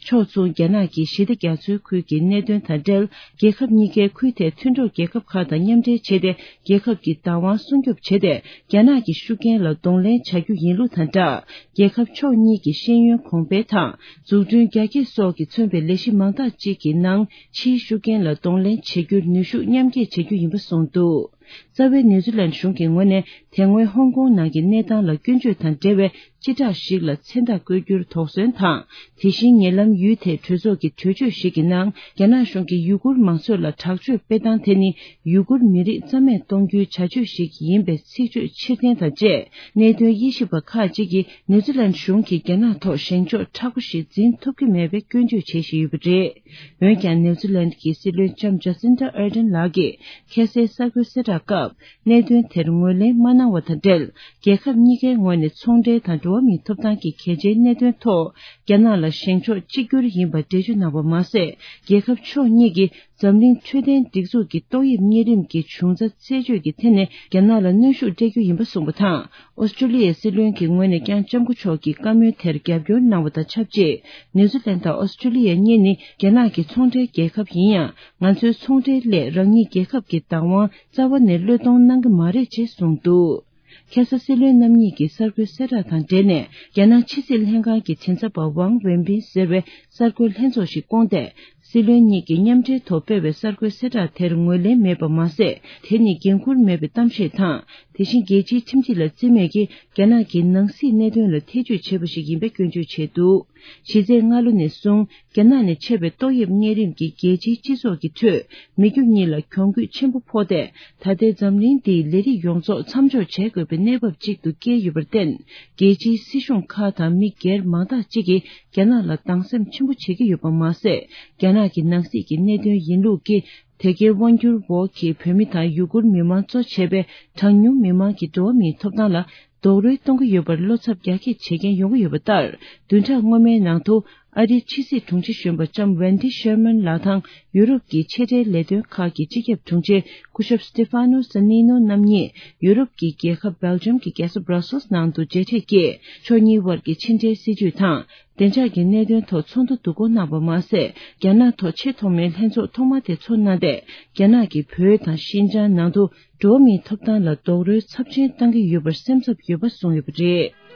ཕྱོགས་མཚུངས་རྒྱ་ནག་གིས་ཞི་བདེ་རྒྱ་མཚོའི་ཁུལ་གྱི་གནད་དོན་དང་འབྲེལ། རྒྱལ་ཁབ་གཉིས་ཀའི་ཁུལ་དེའི་མཐུན་གྲོགས་རྒྱལ་ཁབ་ཁག་དང་མཉམ་འབྲེལ་བྱས་ཏེ། རྒྱལ་ཁབ་ཀྱི་བདག་དབང་སྲུང་སྐྱོབ་བྱས་ཏེ། རྒྱ་ནག་གི་ཤུགས་རྐྱེན་ལ་གདོང་ལེན་བྱ་རྒྱུ་ཡིན་ལུགས་དང་སྦྲགས། རྒྱལ་ཁབ་ཕྱོགས་གཉིས་ཀྱི་ཤེས་ཡོན་གོང་འཕེལ་དང་། འཛུགས་སྐྲུན་རྒྱ་སྐྱེད་སོགས་ཀྱིས་མཚོན་པའི་ལས་གཞི་མང་དག་ཅིག་གི་ནང་། ཕྱིའི་ཤུགས་རྐྱེན་ལ་གདོང་ལེན་བྱེད་རྒྱུར་ནུས་ཤུགས་མཉམ་སྐྱེད་བྱ་རྒྱུ་ཡིན་པ་གསུངས་འདུག། རྩ་བའི་ནིའུ་ཛི་ལན་གཞུང་གི་ངོས་ནས། དེ་སྔོན་ཧོང་ཀོང་ནང་གི་གནས་སྟངས་ལ་སྐྱོན་བརྗོད་དང་འབྲེལ་བའི་སྤྱི་བསྒྲགས་ཤིག་ལ་མཚན་རྟགས་བཀོད་རྒྱུར་དོགས་ཟོན་དང་། དེ་བཞིན་ཉེ་ལམ་ཡུལ་དེའི་གྲོས་ཚོགས་ཀྱི་གྲོས་ཆོད་ཞིག་གི་ནང་། རྒྱ་ནག་གཞུང་གིས་ཡུ་གུར་མང་ཚོགས་ལ་དྲག་སྤྱོད་སྤེལ་སྟངས་དེ་ནི། ཡུ་གུར་མི་རིགས་རྩ་མེད་གཏོང་རྒྱུའི་བྱ་སྤྱོད་ཞིག་ཡིན་པའི་ཚིག་བརྗོད་ཕྱིར་འཐེན་དང་བཅས། གནད་དོན་དབྱེ་ཞིབ་པ་ཁག་ཅིག་གིས། ནིའུ་ཛི་ལན་གཞུང་གིས་རྒྱ་ནག་ཐོག་བཞེངས་ཕྱོགས་མཁྲེགས་པོ་ཞིག་འཛིན་ཐུབ་ཀྱི་མེད་པའི་སྐྱོན་བརྗོད་བྱེད་བཞིན་ཡོད་པ་རེད། འོན་ཀྱང་། ནིའུ་ཛི་ལན་གྱི་སྲིད་བློན་ལྕམ་ཇ་སིན་ཏྲ་ཨར་ཌན་ལགས་ཀྱིས། ཁ་སའི་གསར་འགོད་གསལ་བསྒྲགས་སྐབས། གནད་དོན་དེར་ངོས་ལེན་མ་གནང་བ་དང་འབྲེལ། རྒྱལ་ཁབ་གཉིས་ཀའི་ངོས་ནས་ཚོང་འབྲེལ་དང་འགྲོ་བ་མིའི་ཐོབ་ཐང་གི་གལ་ཆེའི་གནད་དོན་ཐོག་རྒྱ་ནག་ལ་བཞེངས་ཕྱོགས་གཅིག་གྱུར་ཡིན་པར་འགྲེལ་བརྗོད་གནང་བ་མ་ཟད། རྒྱལ་ཁབ་ཕྱོགས་གཉིས་ཀྱིས། འཛམ་གླིང་འཕྲོད་བསྟེན་སྒྲིག་འཛུགས་ཀྱི་ཏོག་དབྱིབས་གཉན་རིམས་ཀྱི་འབྱུང་རྩ་རྩད་གཅོད་ཀྱི་ཐད་ནས་རྒྱ་ནག་ལ་གནོན་ཤུགས་སྤྲད་རྒྱུ་ཡིན་པ་གསུངས་པ་དང་། ཨོ་སི་ཀྲུ་ལི་ཡའི་སྲིད་བློན་གྱི་ངོས་ནས་ཀྱང་ལྕམ་སྐུ་མཆོག་གི་བཀའ་མོལ་དེར་རྒྱབ་སྐྱོར་གནང་བ་དང་ཆབས་ཅིག། ནིའུ་ཛི་ལན་དང་ཨོ་སི་ཀྲུ་ལི་ཡ་གཉིས་ནི་རྒྱ་ནག་གི་ཚོང་འབྲེལ་རྒྱལ་ཁབ་ཡིན་ཡང་། ང་ཚོའི་ཚོང་འབྲེལ་སླད་རང་ཉིད་རྒྱལ་ཁབ་ཀྱི་བདག་དབང་རྩ་བ་ནས་བློས་གཏོང་གནང་གི་མ་རེད་ཅེས་གསུངས་འདུག། ཁ་ས་སྲིད་བློན་རྣམ་གཉིས་ཀྱི་གསར་འགོད་གསལ་བསྒྲགས་དང་འབྲེལ་ནས། རྒྱ་ནག་ཕྱི་སྲིད་ལྷན་ཁང་གི་མགྲིན་ཚབ་པ་ཝང་ཝེན་པིན་ཟེར་བའི་གསར་འགོད་ལྷན་ཚོགས་ཤིག་བསྐོངས་ཏེ། སྲིད་བློན་གཉིས་ཀྱིས་མཉམ་འབྲེལ་ཐོག་སྤེལ་བའི་གསར་འགོད་གསལ་བསྒྲགས་དེར་ངོས་ལེན་མེད་པ་མ་ཟད། དེ་ནི་འགན་འཁུར་མེད་པའི་གཏམ་བཤད་དང་། དེ་བཞིན་རྒྱལ་སྤྱིའི་ཁྲིམས་སྒྲིག་ལ་བརྩི་མེད་ཀྱིས། རྒྱ་ནག་གི་ནང་སྲིད་གནད་དོན་ལ་ཐེ་ཇུས་བྱས་པ་ཞིག་ཡིན་པའི་སྐྱོན་བརྗོད་བྱས་འདུག། གཞི་རྩའི་སྔ་ལོ་ནས་བཟུང་། རྒྱ་ནག་ནས་མཆེད་པའི་ཏོག་དབྱིབས་གཉན་རིམས་ཀྱིས་རྒྱལ་སྤྱིའི་སྤྱི་ཚོགས་ཀྱི་ཁྲོད། མི་རྒྱུ་གཉིས་ལ་གྱོང་གུད་ཆེན་པོ་ཕོག་སྟེ། ད་ལྟའི་འཛམ་གླིང་འདིའི་ལས་རིགས་ཡོངས་རྫོགས་མཚམས་འཇོག་བྱེད་དགོས་པའི་གནས་བབ་ཅིག་ཏུ་བསྐྱལ་ཡོད་པར་བརྟེན། རྒྱལ་སྤྱིའི་སྲིད་གཞུང་ཁག་དང་མི་སྒེར་མང་དག་ཅིག་གིས་རྒྱ་ནག་ལ་སྡང་སེམས་ཆེན་པོ་བྱེད་ཀྱི་ཡོད་པ་མ་ཟད། རྒྱ་ནག་གི་ནང་སྲིད་ཀྱི་གནད་དོན་ཡིན་ལུགས་ཀྱིས། དེ་གའི་དབང་སྒྱུར་འོག་གི་བོད་མི་དང་ཡུ་གུར་མི་མང་གཙོ་བྱས་པའི་གྲངས་ཉུང་མི་མང་གི་འགྲོ་བ་མིའི་ཐོབ་ཐང་ལ་རྡོག་རོལ་གཏོང་གི་ཡོད་པར་བློ་འཚབ་རྒྱ་སྐྱེད་བྱེད་མཁན་ཡོང་གི་ཡོད་པ་ལྟར། བདུན་ཕྲག་སྔོན་མའི་ནང་དུ། ཨ་རིའི་ཕྱི་སྲིད་དྲུང་ཆེ་གཞོན་པ་ལྕམ་ཝན་ཏི་ཤེར་མན་ལགས་དང་ཡུ་རོབ་ཀྱི་ཕྱི་འབྲེལ་ལས་དོན་ཁག་གི་སྤྱི་ཁྱབ་དྲུང་ཆེ་སྐུ་ཞབས་སི་ཏི་ཕ་ནོ་ས་ནི་ནོ་རྣམ་གཉིས་ཡུ་རོབ་ཀྱི་རྒྱལ་ཁབ་སྦེལ་ཇམ་གྱི་རྒྱལ་ས་སྦྲ་སེལ་ནང་དུ་མཇལ་འཕྲད་ཀྱིས། ཕྱོགས་གཉིས་དབར་གྱི་ཕྱི་འབྲེལ་སྲིད་ཇུས་དང་། བདེ་འཇགས་ཀྱི་གནད་དོན་ཐོག་ཚོགས་འདུ་བསྡུ་སྐོང་གནང་བ་མ་ཟད། རྒྱ་ནག་ཐོག་ཆེས་ཐོག་མའི་ལྷན་ཚོགས་ཐོག་མ་དེ་ཚོགས་གནང་སྟེ། རྒྱ་ནག་གིས་བོད་དང་ཤིན་ཅང་ནང་དུ་འགྲོ་བ་མིའི་ཐོབ་ཐང་ལ་རྡོག་རོལ་ཚབས་ཆེན་བཏང་གི་ཡོད་པར་སེམས་འཚབ་ཡོད་པ་གསུངས་ཡོད་པ་རེད།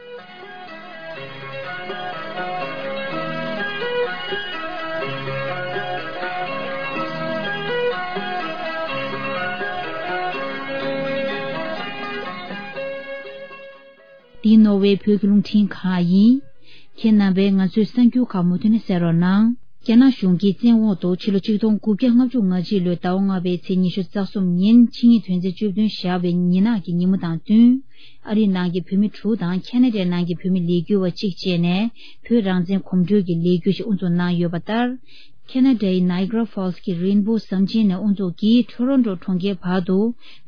འདི་ནོར་ཝེ་བོད་ཀྱི་རླུང་འཕྲིན་ཁང་ཡིན། ཁྱེད་རྣམ་པས་ང་ཚོའི་གསར་འགྱུར་ཁག་མུ་མཐུད་ནས་གསན་རོགས་གནང་། རྒྱ་ནག་གཞུང་གིས་བཙན་འོག་ཏུ་ཕྱི་ལོ་ཆིག་སྟོང་དགུ་བརྒྱ་ལྔ་བཅུ་ང་གཅིག་ལོའི་ཟླ་བ་ལྔ་པའི་ཚེས་ཉི་ཤུ་རྩ་གསུམ་ཉིན་ཆིངས་ཡིག་དོན་ཚན་བཅུ་བདུན་བཞག་པའི་ཉིན་ནག་གི་ཉིན་མོ་དང་བསྟུན། ཨ་རིའི་ནང་གི་བོད་མི་དྲུག་དང་ཁ་ན་ཌའི་ནང་གི་བོད་མི་ལས་འགུལ་བ་གཅིག་བཅས་ནས་བོད་རང་བཙན་གོམ་བགྲོད་ཀྱི་ལས་འགུལ་ཞིག་དབུ་འཛུགས་གནང་ཡོད་པ་ལྟར། ཁ་ན་ཌའི་ནཱི་ཀ་ར་ཧྥོལ་སི་གི་རེན་བོ་ཟམ་ཆེན་ནས་དབུ་འཛུགས་ཀྱིས་ཊོ་རོན་ཊོ་གྲོང་ཁྱེར་བར་དུ་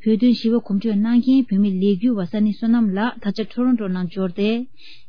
བོད་དོན་ཞི་བའི་གོམ་བགྲོད་གནང་མཁན་བོད་མི་ལས་འགུལ་བ་ས་གནས་བསོད་ནམས་ལགས་ད་ཆ་ཊོ་རོན་ཊོ་ནང་འབྱོར་ཏེ།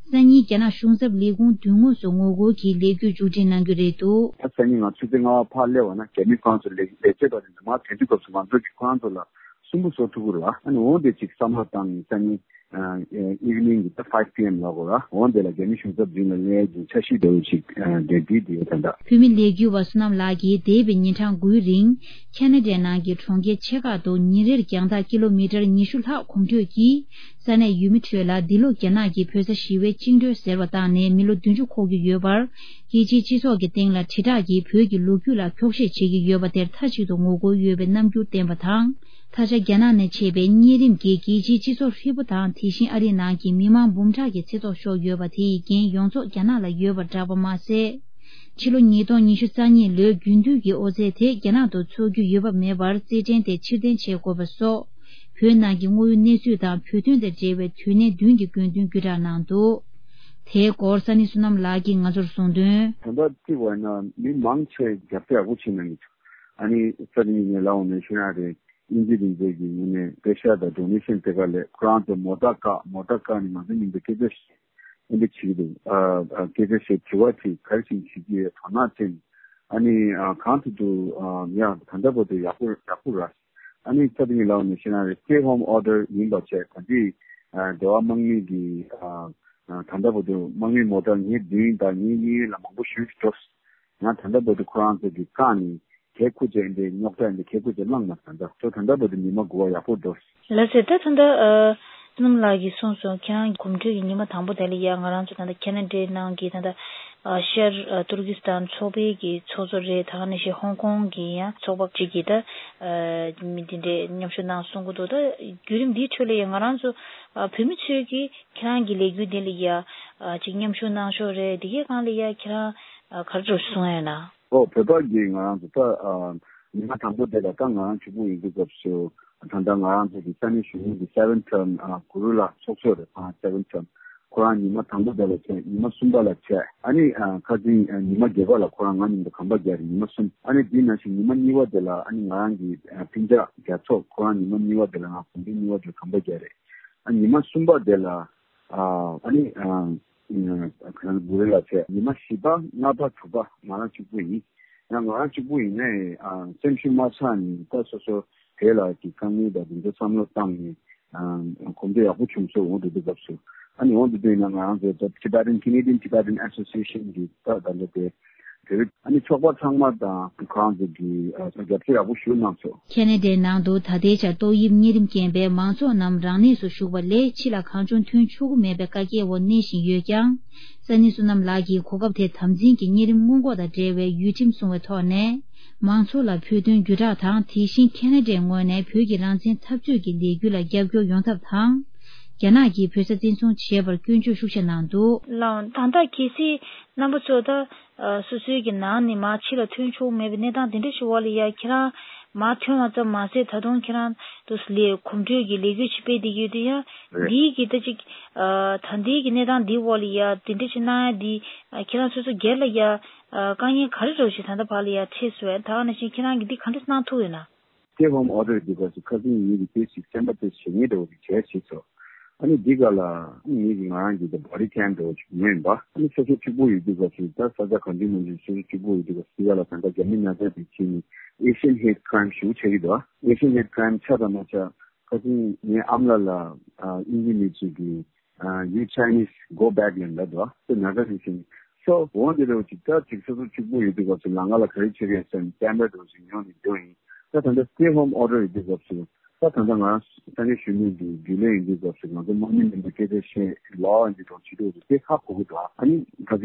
སང་ཉིན་རྒྱ་ནག་གཞུང་ཚབ་ལས་ཁུངས་མདུན་ངོས་སུ་ངོ་རྒོལ་གྱི་ལས་འགུལ་མཇུག་སྒྲིལ་གནང་རྒྱུ་རེད་འདུག། ད་སང་ཉིན་ང་ཆུ་ཚོད་ལྔ་པ་ཕར་སླེབས་པ་ན་རྒྱ་མི་ཁོ་རང་ཚོ་ལས་ལས་བྱེད་པ་དེ་ཚོ་མར་ཐོན་དུས་སྐབས་སུ་ང་ཚོ་གི་ཁོ་རང་ཚོ་ལ་སུན་པོ་བཟོ་ཐུབ་ཀྱི་རེད་བ། ཨ་ནི་འོང་དེ་ཅིག་བསམ་བློ་བཏང་ནས་སང་ཉིན་ཨ་ཨེ་ཨི་ཝི་ནིང་གི་ད་ཕའིབ་པི་ཨེམ་ལ་གོ་ར་འོང་དེ་ལ་རྒྱ་མི་གཞུང་ཚབ་མདུན་ལ་སླེབས་ཀྱི་འཆར་གཞི་འདྲ་བོ་ཅིག་ཨ་འདྲ་བསྒྲིགས་བསྡད་ཡོད་ད་ལྟ། བོད་མི་ལས་འགུལ་བ་བསོད་ནམས་ལགས་ཀྱིས་འདས་པའི་ཉིན་གྲངས་དགུའི་རིང་ཁ་ན་ཌའི་ནང་གི་གྲོང་ཁྱེར་ཆེ་ཁག་ཏུ་ཉིན་རེར་རྒྱང་ཐག་ཀི་ལོ་མི་ཊར་ཉི་ཤུ་ལྷག་གོམ་བགྲོད་ཀྱིས། ས་གནས་ཡུལ་མི་ཁྲོད་ལ་འདི་ལོ་རྒྱ་ནག་གིས་བོད་ས་ཞི་བའི་བཅིངས་འགྲོལ་ཟེར་བ་བཏང་ནས་མི་ལོ་བདུན་ཅུ་འཁོར་གྱི་ཡོད་པར། རྒྱལ་སྤྱིའི་སྤྱི་ཚོགས་ཀྱི་སྟེང་ལ་དྲིལ་བསྒྲགས་ཀྱིས་བོད་ཀྱི་ལོ་རྒྱུས་ལ་འཁྱོག་བཤད་བྱེད་ཀྱི་ཡོད་པ་དེར་མཐའ་གཅིག་ཏུ་ངོ་རྒོལ་ཡོད་པའི་རྣམ་འགྱུར་བསྟན་པ་དང་། ད་ཆ་རྒྱ་ནག་ནས་མཆེད་པའི་གཉན་རིམས་ཀྱིས་རྒྱལ་སྤྱིའི་སྤྱི་ཚོགས་ཧྲིལ་པོ་དང་དེ་བཞིན་ཨ་རིའི་ནང་གི་མི་མང་འབུམ་ཕྲག་གི་ཚེ་སྲོག་ཤོར་ཡོད་པ་དེ་ཡི་འགན་ཡོངས་རྫོགས་རྒྱ་ནག་ལ་ཡོད་པ་བསྒྲགས་པ་མ་ཟད། ཕྱི་ལོ་ཉིས་སྟོང་ཉི་ཤུ་རྩ་གཉིས་ལོའི་རྒྱུན་མཐུད་ཀྱི་ཨོ་རྩལ་དེ་རྒྱ་ནག་ཏུ་འཚོགས་རྒྱུ་ཡོད་པ་མེད་པར་རྩེད་འགྲན་དེ་ཕྱིར་འཐེན་བྱེད་དགོས་པ་སོགས། བོད་ནང་གི་དངོས་ཡོད་གནས་ཚུལ་དང་བོད་དོན་དང་འབྲེལ་བའི་དུས་གནད་བདུན་གྱི་དགོས་འདུན་བརྒྱུད་བསྒྲགས་གནང་འདུག། དེའི་སྐོར་ས་གནས་བསོད་ནམས་ལགས་ཀྱིས་ང་ཚོར་གསུངས་དོན། ད་ལྟ་བརྩིས་པ་ཡིན་ན་མི་མང་ཆེ་རྒྱབ་སྐྱོར་ཡག་པོ་བྱེད་གནང་གི་འདུག། ཨ་ནི་ས་གནས་ངས་ལབ་འོང་ནས་ཤེས་ན་རེད། དབྱིན་ཇི་རིག་མཛོད་ཀྱི་ངོས་ནས་པེ་ཤ་དང་ཌོ་ནེ་ཤན་སྤྲད་ག་ལས་ཁོ་རང་ཚོ་མོ་ཊ་བཀག་མོ་ཊ་བཀག་ནས་ང་ཚོ་མཉམ་དུ་སྐད་ཆ་བཤད། ཨ་འདི་བྱེད་ཀྱི་འདུག། ཨ་ཨ་སྐད་ཆ་བཤད་དྲི་བ་དྲིས་ག་རེ་བྱེད་ཀྱི་ཡོད་དོ་སྣང་བྱས་ནས་ཨ་ནི་ཨ་གང་ཐུབ་ཐུབ་ཨ་ཡ་ད་ལྟ་བར་དུ་ཡག་པོ་ཡག་པོ་ར། ཨ་ནི་ས་དེ་ཉིད་ལ་ནི་ཤེས་ན་རེད་stay home order་ཡིན་པ་བྱས་ད་འདི་ཨ་འབྲེལ་བ་དམག་མི་གི་ཨ་ ད་ལྟ་བར་དུ་དམག་མི་མོ་ཊ་ཉིས་བདུན་དང་ཉིས་གཉིས་ལ་མང་པོ་ཞིག་འགྲོ། ང་ད་ལྟ་བར་དུ་ཁོ་རང་ཚོ་གི་བཀག་ནས་གད་ཁུ་ཅན་དེ་རྙོག་དྲ་ཡིན་དེ་གད་ཁུ་ཅན་བླངས་མ་ད་ལྟ་ཚོ་ད་ལྟ་བར་དུ་ཉི་མ་དགུ་པ་ཡག་པོ་འགྲོ། ལགས་སེ། ད་ད་ལྟ་ཨ་བསོད་ནམས་ལགས་ཀྱིས་གསུངས་སོང་། ཁྱེད་རང་གི་གོམ་བགྲོད་ཀྱི་ཉི་མ་དང་པོ་དེ་ལ་ཡ་ང་རང་ཚོ་ད་ལྟ་ཁེ་ན་ཌའི་ནང་གི་ད་ལྟ་ཨ་ཤར་ཨ་ཏུར་ཀི་སི་ཐན་ཚོགས་པའི་གི་ཚོགས་གཙོ་རེད། ད་ག་ནང་བཞིན་ཧོང་ཀོང་གི་ཡང་ཚོགས་པ་གཅིག་གིས་ད་ཨ་མི་དེ་འདྲའི་མཉམ་ཞུགས་གནང་གསུང་གི་འདུག་ད་བརྒྱུད་རིམ་འདིའི་ཁྲོད་ལ་ཡ་ང་རང་ཚོ་ཨ་བོད་མི་ཚོས་ཀྱིས་ཁྱེད་རང་གི་ལས་འགུལ་འདི་ལ་ཡ་ཨ་ཅིག་མཉམ་ཞུགས་གནང་ཕྱོགས་རེད། འདི་གའི་སྒང་ལ་ཡ་ཁྱེད་རང་ཨ་ག་རེ་འདྲ་གསུང་ཡ་ཡོད་ན། ཨོ་བོད་པ་གིས་ང་རང་ཚོ་ད་ཨ་ཉི་མ་དང་པོ་དེ་ལ་ད་ང་རང་གཅིག་པུ་ཡིན་དུས་སྐབས་སུ་ད་ལྟ་ང་རང་ཚོ་གི་ས་གནས་གཞོན་ནུ་གི་སེ་ཝན་ཊརམ་ཨ་གུ་རུ་ལགས་ཚོགས་གཙོ་རེད། ཨ་སེ་ཝན་ཊརམ་ཁོ་རང་ཉི་མ་དང་པོ་དེ་ལ་བྱས། ཉི་མ་གསུམ་པ་ལ་བྱས། ཨ་ནི་ཨ་ཁ་སང་ཨ་ཉི་མ་བརྒྱད་པ་ལ་ཁོ་རང་ང་མཉམ་དུ་གམ་པ་རྒྱག་རེད། ཉི་མ་གསུམ། ཨ་ནི་དེ་ནང་བཞིན་ཉི་མ་གཉིས་པ་དེ་ལ་ཨ་ནི་ང་རང་གི་ཨ་སྤུན་ཀྱག་རྒྱ་ཚོགས་ཁོ་རང་ཉི་མ་གཉིས་པ་དེ་ལ་ང་གོམ་པའི་གཉིས་པ་དེ་ལ་གམ་པ་རྒྱག་རེད། ཨ་ཉི་མ་གསུམ་པ་དེ་ལ་ཨ་ཨ་ནི་ཨ་ཁོ་རང་གུ་རུ་ལ་བྱས། ཉི་མ་བཞི་པ་ལྔ་པ་དྲུག་པ་ང་རང་གཅིག་པུ་ཡིན། ཡང་ང་རང་གཅིག་པུ་ཡིན་ནའི་ཨ་སེམས་ཤུགས་མ་ཆག་ནས་ད་སོ་སོ་དེ་ལ་གི་དཀའ་ངལ་དང་དེ་ཚོ་བསམ་བློ་བཏང་ནས་ཨ་གོམ་བགྲོད་ཡག་པོ་བྱུང་སོང་། འོང་དུས་དུས་སྐབས་སུ་ཨ་ནི་འོང་དུས་དུས་ན་ང་རང་ཚོ་Tibetan Canadian Tibetan Association གི་ད་ད་ལོ་དེ་དེ་རིང་ཨ་ནི་ཚོགས་པ་ཚང་མ་དང་ཁོ་རང་ཚོ་གི་ཨ་རྒྱབ་སྐྱོར་ཡག་པོ་ཞུ་གནང་སོང་། ཁེ་ན་ཌའི་ནང་དུ་ད་ལྟའི་ཆར་ཏོག་དབྱིབས་གཉན་རིམས་རྐྱེན་པས་མང་ཚོགས་རྣམས་རང་གནས་སུ་བཞུགས་པ་ལས་ཕྱི་ལ་གང་བྱུང་ཐོན་ཆོག་གི་མེད་པའི་བཀའ་རྒྱའི་འོག་གནས་བཞིན་ཡོད་ཀྱང་། ས་གནས་བསོད་ནམས་ལགས་ཀྱིས་གོ་སྐབས་དེ་དམ་འཛིན་གྱིས་གཉན་རིམས་སྔོན་འགོག་དང་འབྲེལ་བའི་ཡུལ་ཁྲིམས་སྲུང་བའི་ཐོག་ནས་མང་ཚོགས་ལ་བོད་དོན་བརྒྱུད་བསྒྲགས་དང་། དེ་བཞིན་ཁེ་ན་ཌའི་ངོས་ནས་བོད་ཀྱི་རང་བཙན་འཐབ་རྩོད་ཀྱི་ལས་འགུལ་ལ་རྒྱབ་སྐྱོར་ཡོང་ཐབས་དང་། རྒྱ་ནག་གིས་བོད་ས་བཙན་བཟུང་བྱས་པར་སྐྱོན་བརྗོད་ཤུགས་ཆེ་གནང་འདུག་ལགས། ད་ལྟ་གལ་སྲིད་རྣམ་པ་ཚོ་ད་ཨ་སོ་སོའི་གི་ནང་ནས་མར་ཕྱི་ལ་ཐོན་ཆོག་མེད་པའི་གནས་སྟངས་དེ་འདྲ་ཞིག་འོག་ལ་ཡ་ཁྱེད་རང་མར་ཐོན་པ་ཙམ་མ་ཟད་ད་དུང་ཁྱེད་རང་དུ་ལས་གོམ་བགྲོད་ཀྱི་ལས་འགུལ་ཅིག་སྤེལ་བསྡད་ཀྱི་ཡོད་དུས་ཡ། རེད། འདིའི་གི་ད་ཅིག་ཨ་ད་ལྟའི་གི་གནས་སྟངས་འདིའི་འོག་ལ་ཡ་དེ་འདྲ་ཞིག་གནང་ཡ་འདི་ཨ་ཁྱེད་རང་སོ་སོ་སྒེར་ལ་ཡ་ཨ་དཀའ་ངལ་ག་རེ་འདྲ་ཞིག་ད་ལྟ་བར་ལ་ཡ་འཕྲད་སོང་ཡ། ད་ག་ནང་བཞིན་ཁྱེད་རང་གིས་འདི་ག་འདྲ་གནང་ཐུབ་ཡོད་ན། Stay home order འདི་སྐབས་སུ་ཁ་སང་ངེད་ཀྱིས་དེ་ཞིག་སེམས་པ་དེ་ཞེ་ངེས་འདྲ་བོ་ཞིག་བྱས་བྱས་སོ། ཨ་ནི་འདི་ག་ལ་ངེད་ཀྱི་ང་རང་གི་དེ་body cam འདྲ་བོ་ཞིག་ཉོས་ཡིན་པ། ཨ་ནི་སོ་སོ་གཅིག་པུ་ཡོད་དུས་སྐབས་སུ་ད་ས་ཆ་གང་ཅི་མང་ཅི་སོ་སོ་གཅིག་པུ་ཡོད་དུས་སྐབས་སུ་འདི་ག་ལ་ད་ལྟ་རྒྱ་མི་ན་ཚ་དེ་ཕྱིན་ནས་Asian hate crime ཞེ་པོ་ཆགས་ཀྱི་འདུག Asian hate crime ཆགས་དང་མ་ཆགས་ཁ་སང་ངའི་ཨ་མ་ལགས་ལ་ཨ་དབྱིན་ཇི་མི་ཚོས་ཀྱིས་ཨ་you Chinese go back ལབ་འདུག་དེ་ན་ཚ་དེ་ཕྱིན། So འོ་འདི་འདྲ་བོ་ཅིག་ད་ཅིག་སོ་སོ་གཅིག་པུ་ཡོད་དུས་སྐབས་སུ་ལམ་ཁ་ལ་ག་རེ་བྱེད་ཀྱི་ཡོད་ཟེར་ན་camera འདྲ་བོ་ཞིག་ཉོས་ནས་འགྲོ་ཡིན། ད་ད་ལྟ་stay home order ཡོད་དུས་སྐབས་སུ་ད་ད་ལྟ་ང་རང་ས་གནས་གཞོན་ནུ་འདི་རྒྱུན་ལས་ཡིན་དུས་སྐབས་སུ་ང་ཚོ་དམག་མི་མིན་པའི་སྐད་ཆ་བཤད་ལོག་ཡིན་དུས་གྲོགས་བྱེད་དུས་དེ་ཧ་གོ་གི་འདུག་ཨ་ནི་ད་ཐེངས་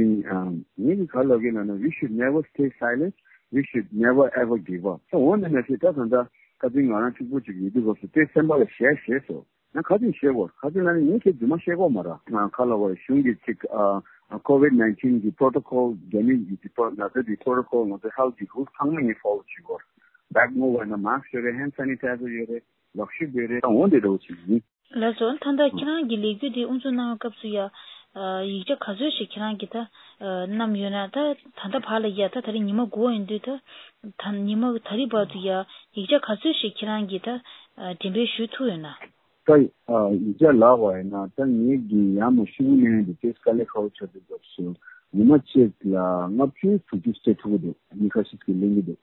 ངས་ཀྱི་ག་ལབ་ཀྱི་ལབ་ན། We should never stay silent. We should never ever give up. ད་འོ་འདི་ན་ཞིག་ད་ད་ལྟ་ད་ཐེངས་ང་རང་གཅིག་པུ་ཅིག་ཡོད་དུས་སྐབས་སུ་དེ་སེམས་པ་ལ་བཞག་བཞག་སོ། ང་ག་ཚོད་བཤད་དགོས། ག་ཚོད་ལབ་ན་ངས་ཁྱེད་རྫུན་མ་བཤད་དགོས་མ་རེད། ང་ག་ལ་བར་གཞུང་གི་ཅིག་ཨ་COVID nineteen གི་protocol རྒྱ་མི་གི་ཅིག་ན་ཚ་གི་protocol ང་ཚོ་health གི་rules ཚང་མ་ངས་follow བྱེད་དགོས། bag ངོ་བ་ན་mask ཡོད་རེད། hand sanitizer ཡོད་རེད། ལག་ཤུབས་ཡོད་རེད། འོ་འདི་འདྲ་བོ་ཅིག་ཡིན། ལགས་སོ། ད་ལྟ་ཁྱེད་རང་གི་ལས་འགུལ་འདི་དབུ་འཛུགས་གནང་བའི་སྐབས་སུ་ཡ་ཡིག་ཆ་ག་ཚོད་ཞིག་ཁྱེད་རང་གིས་ད་བསྣམས་ཡོད་ན། ད་ད་ལྟ་བར་ལ་ཡ་ད་ད་རེས་ཉི་མ་དགུ་པ་ཡིན་དུས་ད་ད་ཉི་མ་ད་རེས་བར་དུ་ཡ་ཡིག་ཆ་ག་ཚོད་ཞིག་ཁྱེད་རང་གིས་ད་འགྲེམས་སྤེལ་ཞུ་ཐུབ་ཡོད་ན། ད་ཡིག་ཆ་ལབ་པ་ཡིན་ན་ད་ངེད་ཀྱི་ཡར་མར་ཤོག་བུ་ལེན་ཡ་དེ་ཏོག་ཙམ་དཀའ་ལས་ཁག་པོ་ཆགས་དུས་སྐབས་སུ་ཉི་མ་གཅིག་ལ་ལྔ་བཅུ་དྲུག་ཅུ་སྤྲད་ཐུབ་ཀྱི་འདུག་མི་ཁ་ཤས་ཀྱིས་ལེན་གྱི་འདུག་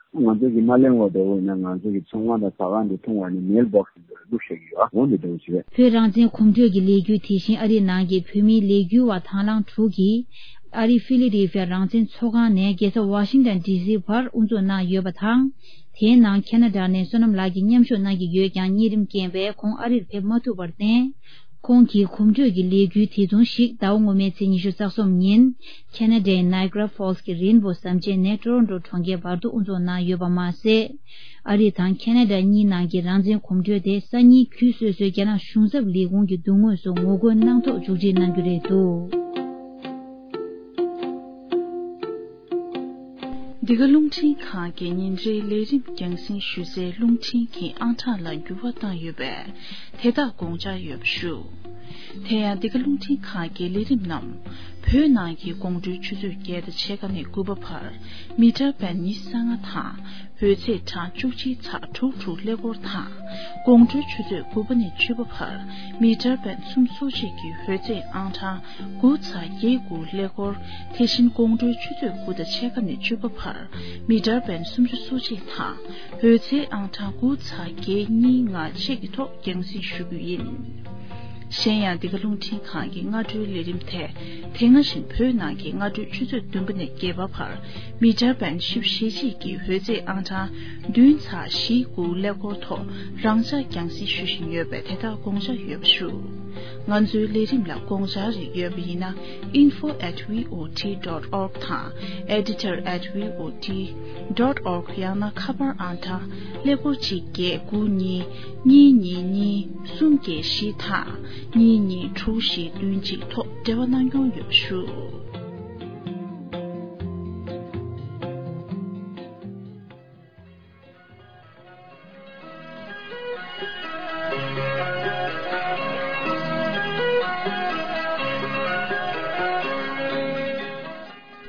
ང་ཚོ་གིས་མ་ལེན་པ་འདྲ་བོ་ཡིན་ན་ང་ཚོ་གི་ཚོང་ཁང་དང་ཟ་ཁང་དུ་འཐུང་བ་ནི་mail box ལ་བླུགས་བཞག་གི་ཡོད། འོ་འདི་འདྲ་བོ་ཞིག་རེད། བོད་རང་བཙན་གོམ་བགྲོད་ཀྱི་ལས་འགུལ་དེ་བཞིན་ཨ་རིའི་ནང་གི་བོད་མིའི་ལས་འགུལ་བ་དང་བླངས་དྲུག་གིས་ཨ་རིའི་ཕི་ལེ་ཌེལ་ཕི་ཡ་རང་བཙན་ཚོགས་ཁང་ནས་རྒྱལ་ས་ཝ་ཤིང་ཊོན་ཌི་སི་བར་དབུ་འཛུགས་གནང་ཡོད་པ་དང་། དེའི་ནང་ཁེ་ན་ཌ་ནས་བསོད་ནམས་ལགས་ཀྱིས་མཉམ་ཞུགས་གནང་གི་ཡོད་ཀྱང་གཉན་རིམས་རྐྱེན་པས་ཁོང་ཨ་རིར་ཕེབས་མ་ཐུབ་པར་བརྟེན། ཁོང་གིས་གོམ་བགྲོད་ཀྱི་ལས་འགུལ་དེ་མཚུངས་ཤིག་ཟླ་བ་སྔོན་མའི་ཚེས་ཉི་ཤུ་རྩ་གསུམ་ཉིན་ཁེ་ན་ཌའི་ནཱི་ཀ་ར་ཧྥོལ་སི་གི་རེན་བོ་ཟམ་ཆེན་ནས་ཊོ་རོན་ཊོ་གྲོང་ཁྱེར་བར་དུ་དབུ་འཛུགས་གནང་ཡོད་པ་མ་ཟད། ཨ་རི་དང་ཁེ་ན་ཌ་གཉིས་ནང་གི་རང་བཙན་གོམ་བགྲོད་དེ་སང་ཉིན་ཁུལ་སོ་སོའི་རྒྱ་ནག་གཞུང་ཚབ་ལས་ཁུངས་ཀྱི་མདུན་ངོས་སུ་ངོ་རྒོལ་གནང་ཐོག་མཇུག་སྒྲིལ་གནང་རྒྱུ་རེད་འདུག་འདི་ག་རླུང་འཕྲིན་ཁང་གི་ཉིན་རེའི་ལས་རིམ་རྒྱང་སྲིང་ཞུ་སའི་རླུང་འཕྲིན་གྱི་ཨང་གྲངས་ལ་འགྱུར་བ་བཏང་ཡོད་པས། དེ་དག་དགོངས་འཇགས་ཡོད་པ་ཞུ། དེ་ཡང་འདི་ག་རླུང་འཕྲིན་ཁང་གི་ལས་རིམ་རྣམས་བོད་ནང་གི་དགོང་དྲོའི་ཆུ་ཚོད་བརྒྱད་དང་ཕྱེད་ཀ་ནས་དགུ་པ་བར་མི་ཊར་བེན་ཉི་ཤུ་རྩ་ལྔ་དང་འོད་ཚད་གྲངས་བཅུ་གཅིག་ཚེག་དྲུག་དྲུག་ཀླད་ཀོར་དང་དགོང་དྲོའི་ཆུ་ཚོད་དགུ་པ་ནས་བཅུ་པ་བར་མི་ཊར་བེན་སུམ་ཅུ་སོ་གཅིག་གི་འོད་ཚད་ཨང་གྲངས་དགུ་ཚེག་བརྒྱད་དགུ་ཀླད་ཀོར། དེ་བཞིན་དགོང་དྲོའི་ཆུ་ཚོད་དགུ་དང་ཕྱེད་ཀ་ནས་བཅུ་པ་བར་མི་ཊར་བེན་སུམ་ཅུ་སོ་གཅིག་དང་འོད་ཚད་ཨང་གྲངས་དགུ་ཚེག་བརྒྱད་གཉིས་ལྔ་བཅས་ཀྱི་ཐོག་རྒྱང་སྲིང་ཞུ་རྒྱུ་ཡིན། གཞན་ཡང་འདི་ག་རླུང་འཕྲིན་ཁང་གི་སྔ་དྲོའི་ལས་རིམ་དེ། དེ་སྔ་བཞིན་བོད་ནང་གི་སྔ་དྲོའི་ཆུ་ཚོད་བདུན་པ་ནས་བརྒྱད་པ་བར། མི་ཊར་བན་བཞི་བཅུ་ཞེ་གཅིག་གི་འོད་རྫས་ཨང་གྲངས་བདུན་ཚེག་བཞི་དགུ་ཀླད་ཀོར་ཐོག་རང་འཇགས་རྒྱང་སྲིང་ཞུ་བཞིན་ཡོད་པས། དེ་དག་དགོངས་འཇགས་ཡོད་པ་ཞུ། ང་ཚོའི་ལས་རིམ་ལ་དགོངས་འཆར་རིགས་ཡོད་པ་ཡིན་ན། info at V O T dot org དང་editor at V O T dot org ཡང་ན་ཁ་པར་ཨང་གྲངས་ཀླད་ཀོར་གཅིག་བརྒྱད་དགུ་གཉིས་གཉིས་གཉིས་གཉིས་གསུམ་བརྒྱད་བཞི་དང་གཉིས་གཉིས་དྲུག་བཞི་བདུན་གཅིག་ཐོག་འབྲེལ་བ་གནང་སྐྱོང་ཡོད་པ་ཞུ།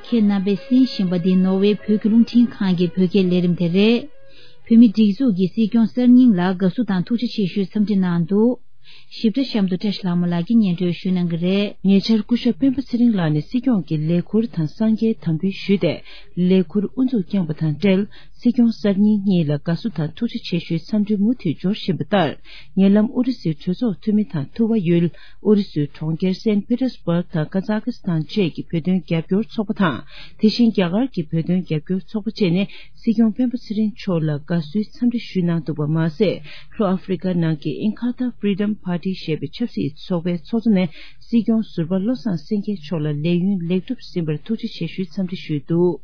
ཁྱེད་རྣམ་པས་གསན་བཞིན་པ་འདི་ནོར་ཝེ་བོད་ཀྱི་རླུང་འཕྲིན་ཁང་གི་བོད་སྐད་ལས་རིམ་དེ་རེད། བོད་མིའི་སྒྲིག་འཛུགས་ཀྱི་སྲིད་སྐྱོང་གསར་རྙིང་ལ་དགའ་བསུ་དང་ཐུགས་རྗེ་ཆེ་ཞུའི་འཚམས་འདྲི་གནང་འདུག། ཞིབ་ཕྲ་གཤམ་དུ་བཀྲ་ཤིས་ལྷ་མོ་ལགས་ཀྱིས་སྙན་སྒྲོན་ཞུ་གནང་གི་རེད། ཉེ་ཆར་སྐུ་ཞབས་སྤེན་པ་ཚེ་རིང་ལགས་ནས་སྲིད་སྐྱོང་གི་ལས་ཁུར་དང་གསང་རྒྱའི་དམ་འབུལ་ཞུས་ཏེ། ལས་ཁུར་དབུ་འཛུགས་བསྐྱངས་པ་དང་འབྲེལ། སྲིད་སྐྱོང་གསར་རྙིང་གཉིས་ལ་དགའ་བསུ་དང་ཐུགས་རྗེ་ཆེ་ཞུའི་འཚམས་འདྲི་མུ་མཐུད་འབྱོར་བཞིན་པ་ལྟར། ཉེ་ལམ་ཨུ་རུ་སུའི་གྲོས་ཚོགས་འཐུས་མི་དང་ཐུ་བ་ཡུལ། ཨུ་རུ་སུའི་གྲོང་ཁྱེར་སན་པི་ཏེར་སྦུག་དང་ཀ་ཛ་ཀི་སི་ཐན་བཅས་ཀྱི་བོད་དོན་རྒྱབ་སྐྱོར་ཚོགས་པ་དང་། དེ་བཞིན་རྒྱ་གར་གྱི་བོད་དོན་རྒྱབ་སྐྱོར་ཚོགས་པ་བཅས་ནས། སྲིད་སྐྱོང་སྤེན་པ་ཚེ་རིང་མཆོག་ལ་དགའ་བསུའི་འཚམས་འདྲི་ཞུས་གནང་འདུག་པ་མ་ཟད། ལྷོ་ཨ་ཧྥེ་རི་ཀ་ནང་གི་ཨིན་ཁ་ཐ་ཕི་རི་ཌམ་པར་ཊི་ཞེས་པའི་ཆབ་སྲིད་ཚོགས་པའི་ཚོགས་གཙོ་ནས། སྲིད་སྐྱོང་ཟུར་པ་བློ་བཟང་སེང་གེ་མཆོག་ལ་ལས་ཡུན་ལེགས་གྲུབ་ཟིན་པར་ཐུགས་རྗེ་ཆེ་ཞུའི་འཚམས་འདྲི་ཞུས་འདུག།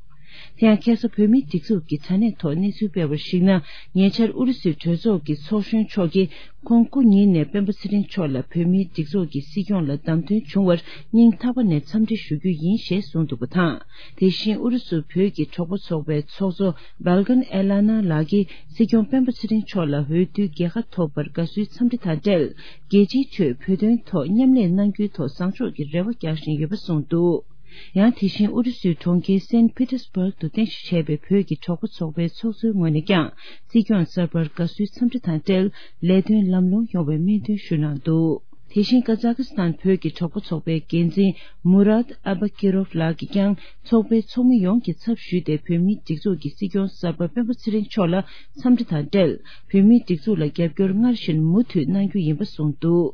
དེ་ཡང་ཁ་སང་བོད་མིའི་སྒྲིག་འཛུགས་ཀྱི་དྲ་གནས་ཐོག་གནས་ཚུལ་སྤེལ་བར་གཞིགས་ན། ཉེ་ཆར་ཨུ་རུ་སུའི་གྲོས་ཚོགས་ཀྱི་ཚོགས་གཞོན་མཆོག་གིས། ཁོང་སྐུ་ཉིད་ནས་སྤེན་པ་ཚེ་རིང་མཆོག་ལ་བོད་མིའི་སྒྲིག་འཛུགས་ཀྱི་སྲིད་སྐྱོང་ལ་བདམས་ཐོན་བྱུང་བར་སྙིང་ཐག་པ་ནས་འཚམས་འདྲི་ཞུ་རྒྱུ་ཡིན་ཞེས་གསུངས་འདུག་པ་དང་། དེ་བཞིན་ཨུ་རུ་སུ་བོད་ཀྱི་གྲོགས་པོ་ཚོགས་པའི་ཚོགས་གཙོ་བལ་གན་ཨེ་ལ་ན་ལགས་ཀྱིས་སྲིད་སྐྱོང་སྤེན་པ་ཚེ་རིང་མཆོག་ལ་འོས་བསྡུའི་རྒྱལ་ཁ་ཐོབ་པར་དགའ་བསུའི་འཚམས་འདྲི་དང་འབྲེལ། རྒྱལ་སྤྱིའི་ཁྲོད་བོད་དོན་ཐོག་མཉམ་ལས་གནང་རྒྱུའི་ཐོག་བཟང་ཕྱོགས་ཀྱི་རེ་བ་རྒྱག་བཞིན་ཡོད་པ་གསུངས་འདུག། ཡང་དེ་བཞིན་ཨུ་རུ་སུའི་གྲོང་ཁྱེར་སན་པི་ཏེར་སྦུག་ཏུ་རྟེན་གཞི་བྱས་པའི་བོད་ཀྱི་གྲོགས་པོ་ཚོགས་པའི་ཚོགས་གཙོའི་ངོས་ནས་ཀྱང་སྲིད་སྐྱོང་གསར་པར་དགའ་བསུའི་འཚམས་འདྲི་དང་འབྲེལ་ལས་དོན་ལམ་ལྷོང་ཡོང་བའི་སྨོན་འདུན་ཞུ་གནང་འདུག། དེ་བཞིན་ཀ་ཛ་ཀི་སི་ཐན་བོད་ཀྱི་གྲོགས་པོ་ཚོགས་པའི་འགན་འཛིན་མུ་རཱད་ཨ་བ་ཀི་རོབ་ལགས་ཀྱིས་ཀྱང་ཚོགས་པའི་ཚོགས་མི་ཡོངས་ཀྱི་ཚབ་ཞུས་ཏེ་བོད་མིའི་སྒྲིག་འཛུགས་ཀྱི་སྲིད་སྐྱོང་གསར་པ་སྤེན་པ་ཚེ་རིང་མཆོག་ལ་འཚམས་འདྲི་དང་འབྲེལ་བོད་མིའི་སྒྲིག་འཛུགས་ལ་རྒྱབ་སྐྱོར་སྔར་བཞིན་མུ་མཐུད་གནང་རྒྱུ་ཡིན་པ་གསུངས་འདུག།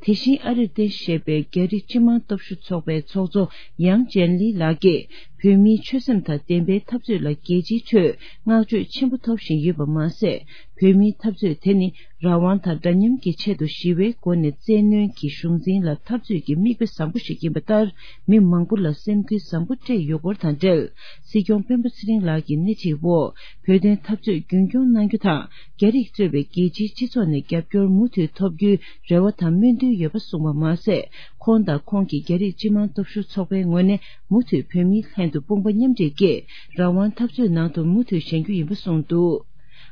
དེ་བཞིན་ཨ་རིར་རྟེན་གཞི་བྱས་པའི་རྒྱ་རིགས་སྤྱི་དམངས་སྟོབས་ཤུགས་ཚོགས་པའི་ཚོགས་གཙོ་ཡང་ཅན་ལི་ལགས་ཀྱིས་བོད་མིའི་ཆོད་སེམས་དང་ལྡན་པའི་འཐབ་རྩོད་ལ་རྒྱལ་སྤྱིའི་ཁྲོད་བསྔགས་བརྗོད་ཆེན་པོ་ཐོབ་བཞིན་ཡོད་པ་མ་ཟད། བོད་མིའི་འཐབ་རྩོད་དེ་ནི་རང་དབང་དང་འདྲ་མཉམ་གྱི་ཆེད་དུ་ཞི་བའི་སྒོ་ནས་བཙན་གནོན་གྱི་གཞུང་འཛིན་ལ་འཐབ་རྩོད་ཀྱི་མིག་དཔེ་བཟང་པོ་ཞིག་ཡིན་པ་ལྟར་མི་མང་པོ་ལ་སེམས་འགུལ་བཟང་པོ་སྤྲད་ཡོད་སྐོར་དང་འབྲེལ། སྲིད་སྐྱོང་སྤེན་པ་ཚེ་རིང་ལགས་ཀྱི་སྣེ་ཁྲིད་འོག་བོད་དོན་འཐབ་རྩོད་རྒྱུན་སྐྱོང་གནང་རྒྱུ་དང་། རྒྱ་རིགས་གཙོས་པའི་རྒྱལ་སྤྱིའི་སྤྱི་ཚོགས་ནས་རྒྱབ་སྐྱོར་མུ་མཐུད་ཐོབ་རྒྱུའི་རེ་བ་དང་སྨོན་འདུན་ཡོད་པ་གསུངས་པ་མ་ཟད། ཁོང་དང་ཁོང་གི་རྒྱ་རིགས་སྤྱི་དམངས་སྟོབས་ཤུགས་ཚོགས་པའི་ངོས་ནས་མུ་མཐུད་བོད་མིའི་ལྷན་དུ་དཔུང་པ་མཉམ་འབྲེལ་གྱིས་རང་དབང་འཐབ་རྩོད་ནང་དུ་མུ་མཐུད་བཞེངས་རྒྱུ་ཡིན་པ་གསུངས་འདུག།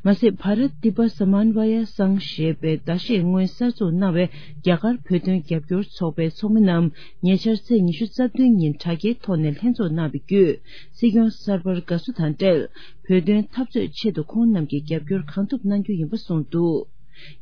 མ་ཟད། བྷ་རཏ་ཏི་བ་ས་མན་ཝ་ཡ་སང་ཞེས་པའི་ཟླ་ཤས་སྔོན་གསར་འཛུགས་གནང་བའི་རྒྱ་གར་བོད་དོན་རྒྱབ་སྐྱོར་ཚོགས་པའི་ཚོགས་མི་རྣམས་ཉེ་ཆར་ཚེས་ཉི་ཤུ་རྩ་བདུན་ཉིན་དྲ་རྒྱའི་ཐོག་ནས་ལྷན་འཛོམས་གནང་བའི་བརྒྱུད། སྲིད་སྐྱོང་གསར་པར་དགའ་བསུ་དང་འབྲེལ། བོད་དོན་འཐབ་རྩོད་ཆེད་དུ་ཁོང་རྣམས་ཀྱི་རྒྱབ་སྐྱོར་གང་ཐུབ་གནང་རྒྱུ་ཡིན་པ་གསུངས་འདུག།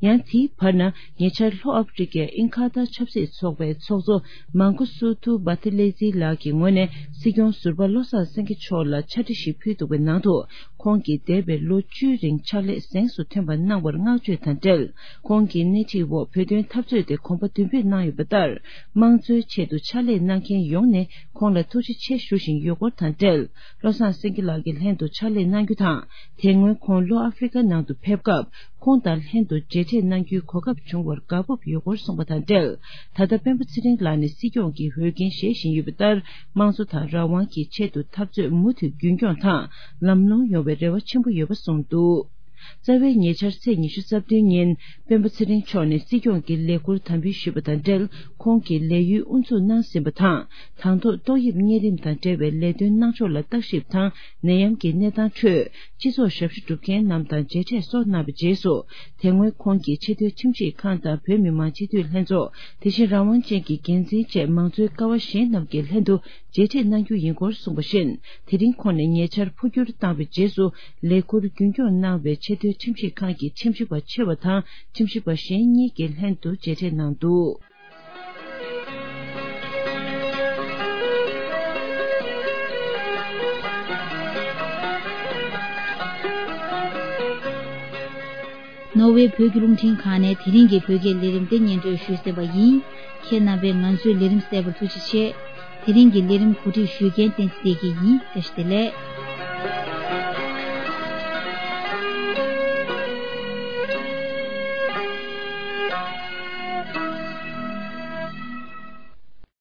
ཡང་དེའི་བར་ན་ཉེ་ཆར་ལྷོ་ཨ་ཕི་རི་ཀའི་ཨིན་ཁ་ཏ་ཆབ་སྲིད་ཚོགས་པའི་ཚོགས་གཙོ་མང་ཀུ་སུ་ཐུ་བྷ་ཐི་ལེ་ཛི་ལགས་ཀྱི་ངོས་ནས་སྲིད་སྐྱོང་ཟུར་པ་བློ་བཟང་སེང་གེ་མཆོག་ལ་ཕྱག་བྲིས་ཤིག་ཕུལ་འདུག་པའི་ནང་དུ། ཁོང་གིས་འདས་པའི་ལོ་བཅུའི་རིང་ཕྱག་ལས་གཟེངས་སུ་ཐོན་པ་གནང་བར་བསྔགས་བརྗོད་དང་འབྲེལ། ཁོང་གི་སྣེ་ཁྲིད་འོག་བོད་དོན་འཐབ་རྩོད་དེ་གོམ་པ་མདུན་སྤོས་གནང་ཡོད་པ་ལྟར། དམངས་གཙོའི་ཆེད་དུ་ཕྱག་ལས་གནང་མཁན་ཡོངས་ནས་ཁོང་ལ་ཐུགས་རྗེ་ཆེ་ཞུ་བཞིན་ཡོད་སྐོར་དང་འབྲེལ། བློ་བཟང་སེང་གེ་ལགས་ཀྱི་ལྷན་དུ་ཕྱག་ལས་གནང་རྒྱུ་དང་། དེ་སྔོན་ཁོང་ལྷོ་ཨ་ཧྥེ་རི་ཀ་ནང་དུ་ཕེབས་སྐབས། ཁོང་དང་ལྷན་དུ་མཇལ་འཕྲད་གནང་རྒྱུའི་གོ་སྐབས་བྱུང་བར་དགའ་སྤོབས་ཡོད་སྐོར་གསུངས་པ་དང་འབྲེལ། ད་ལྟ་སྤེན་པ་ཚེ་རིང་ལགས་ནི་སྲིད་སྐྱོང་གི་འོས་འགན་བཞེས་བཞིན་ཡོད་པ་ལྟར། དམངས་གཙོ་དང་རང་དབང་གི་ཆེད་དུ་འཐབ་རྩོད་མུ་མཐུད་རྒྱུན་འཁྱོངས་དང་ལམ་ལྷོང་ཡོང་བའི་རེ་བ་ཆེན་པོ་ཡོད་པ་གསུངས་འདུག། རྩ་བའི་ཉེ་ཆར་ཚེས་ཉི་ཤུ་རྩ་བདུན་ཉིན་སྤེན་པ་ཚེ་རིང་མཆོག་ནས་སྲིད་སྐྱོང་གི་ལས་ཁུར་དམ་འབུལ་ཞུས་པ་དང་འབྲེལ། ཁོང་གིས་ལས་ཡུན་དབུ་འཛུགས་གནང་ཟིན་པ་དང་། དང་ཐོག་ཏོག་དབྱིབས་གཉན་རིམས་དང་འབྲེལ་བའི་ལས་དོན་གནང་ཕྱོགས་ལ་བརྟག་ཞིབ་དང་ནད་ཡམས་ཀྱི་གནས་སྟངས་ཁྲོད། སྤྱི་ཚོགས་ཞབས་ཞུ་སྒྲུབ་མཁན་རྣམས་དང་མཇལ་འཕྲད་སོགས་གནང་བའི་རྗེས་སུ། དེ་སྔོན་ཁོང་གིས་ཆེས་མཐོའི་ཁྲིམས་ཞིབ་ཁང་དང་བོད་མི་མང་སྤྱི་འཐུས་ལྷན་ཚོགས། དེ་བཞིན་རང་དབང་ཅན་གྱི་འགན་འཛིན་བཅས་མང་གཙོའི་ཀ་བ་གཞན་རྣམས་ཀྱི་ལྷན་དུ་མཇལ་འཕྲད་གནང་རྒྱུ་ཡིན་སྐོར་གསུངས་པ་བཞིན། དེ་རིང་ཁོང་ནས་ཉེ་ཆར་འཕོ་འགྱུར་བཏང་བའི་རྗེས་སུ་ལས་ཁུར་རྒྱུན་སྐྱོང་གནང་བའི་ཆེས་མཐོའི་ཁྲིམས་ཞིབ་ཁང་གི་ཁྲིམས་ཞིབ་པ་ཆེ་བ་དང་ཁྲིམས་ཞིབ་པ་གཞན་གཉིས་ཀྱི་ལྷན་དུ་མཇལ་འཕྲད་གནང་འདུག། ནོར་ཝེ་བོད་ཀྱི་རླུང་འཕྲིན་ཁང་ནས་དེ་རིང་གི་བོད་སྐད་ལས་རིམ་དེ་སྙན་སྒྲོན་ཞུས་ཟིན་པ་ཡིན། ཁྱེད་རྣམ་པས་ང་ཚོའི་ལས་རིམ་གསན་པར་ཐུགས་རྗེ་ཆེ། དེ་རིང་གི་ལས་རིམ་གོ་སྒྲིག་ཞུ་མཁན་བསྟན་འཛིན་བདེ་སྐྱིད་ཡིན། བཀྲ་ཤིས་བདེ་ལེགས།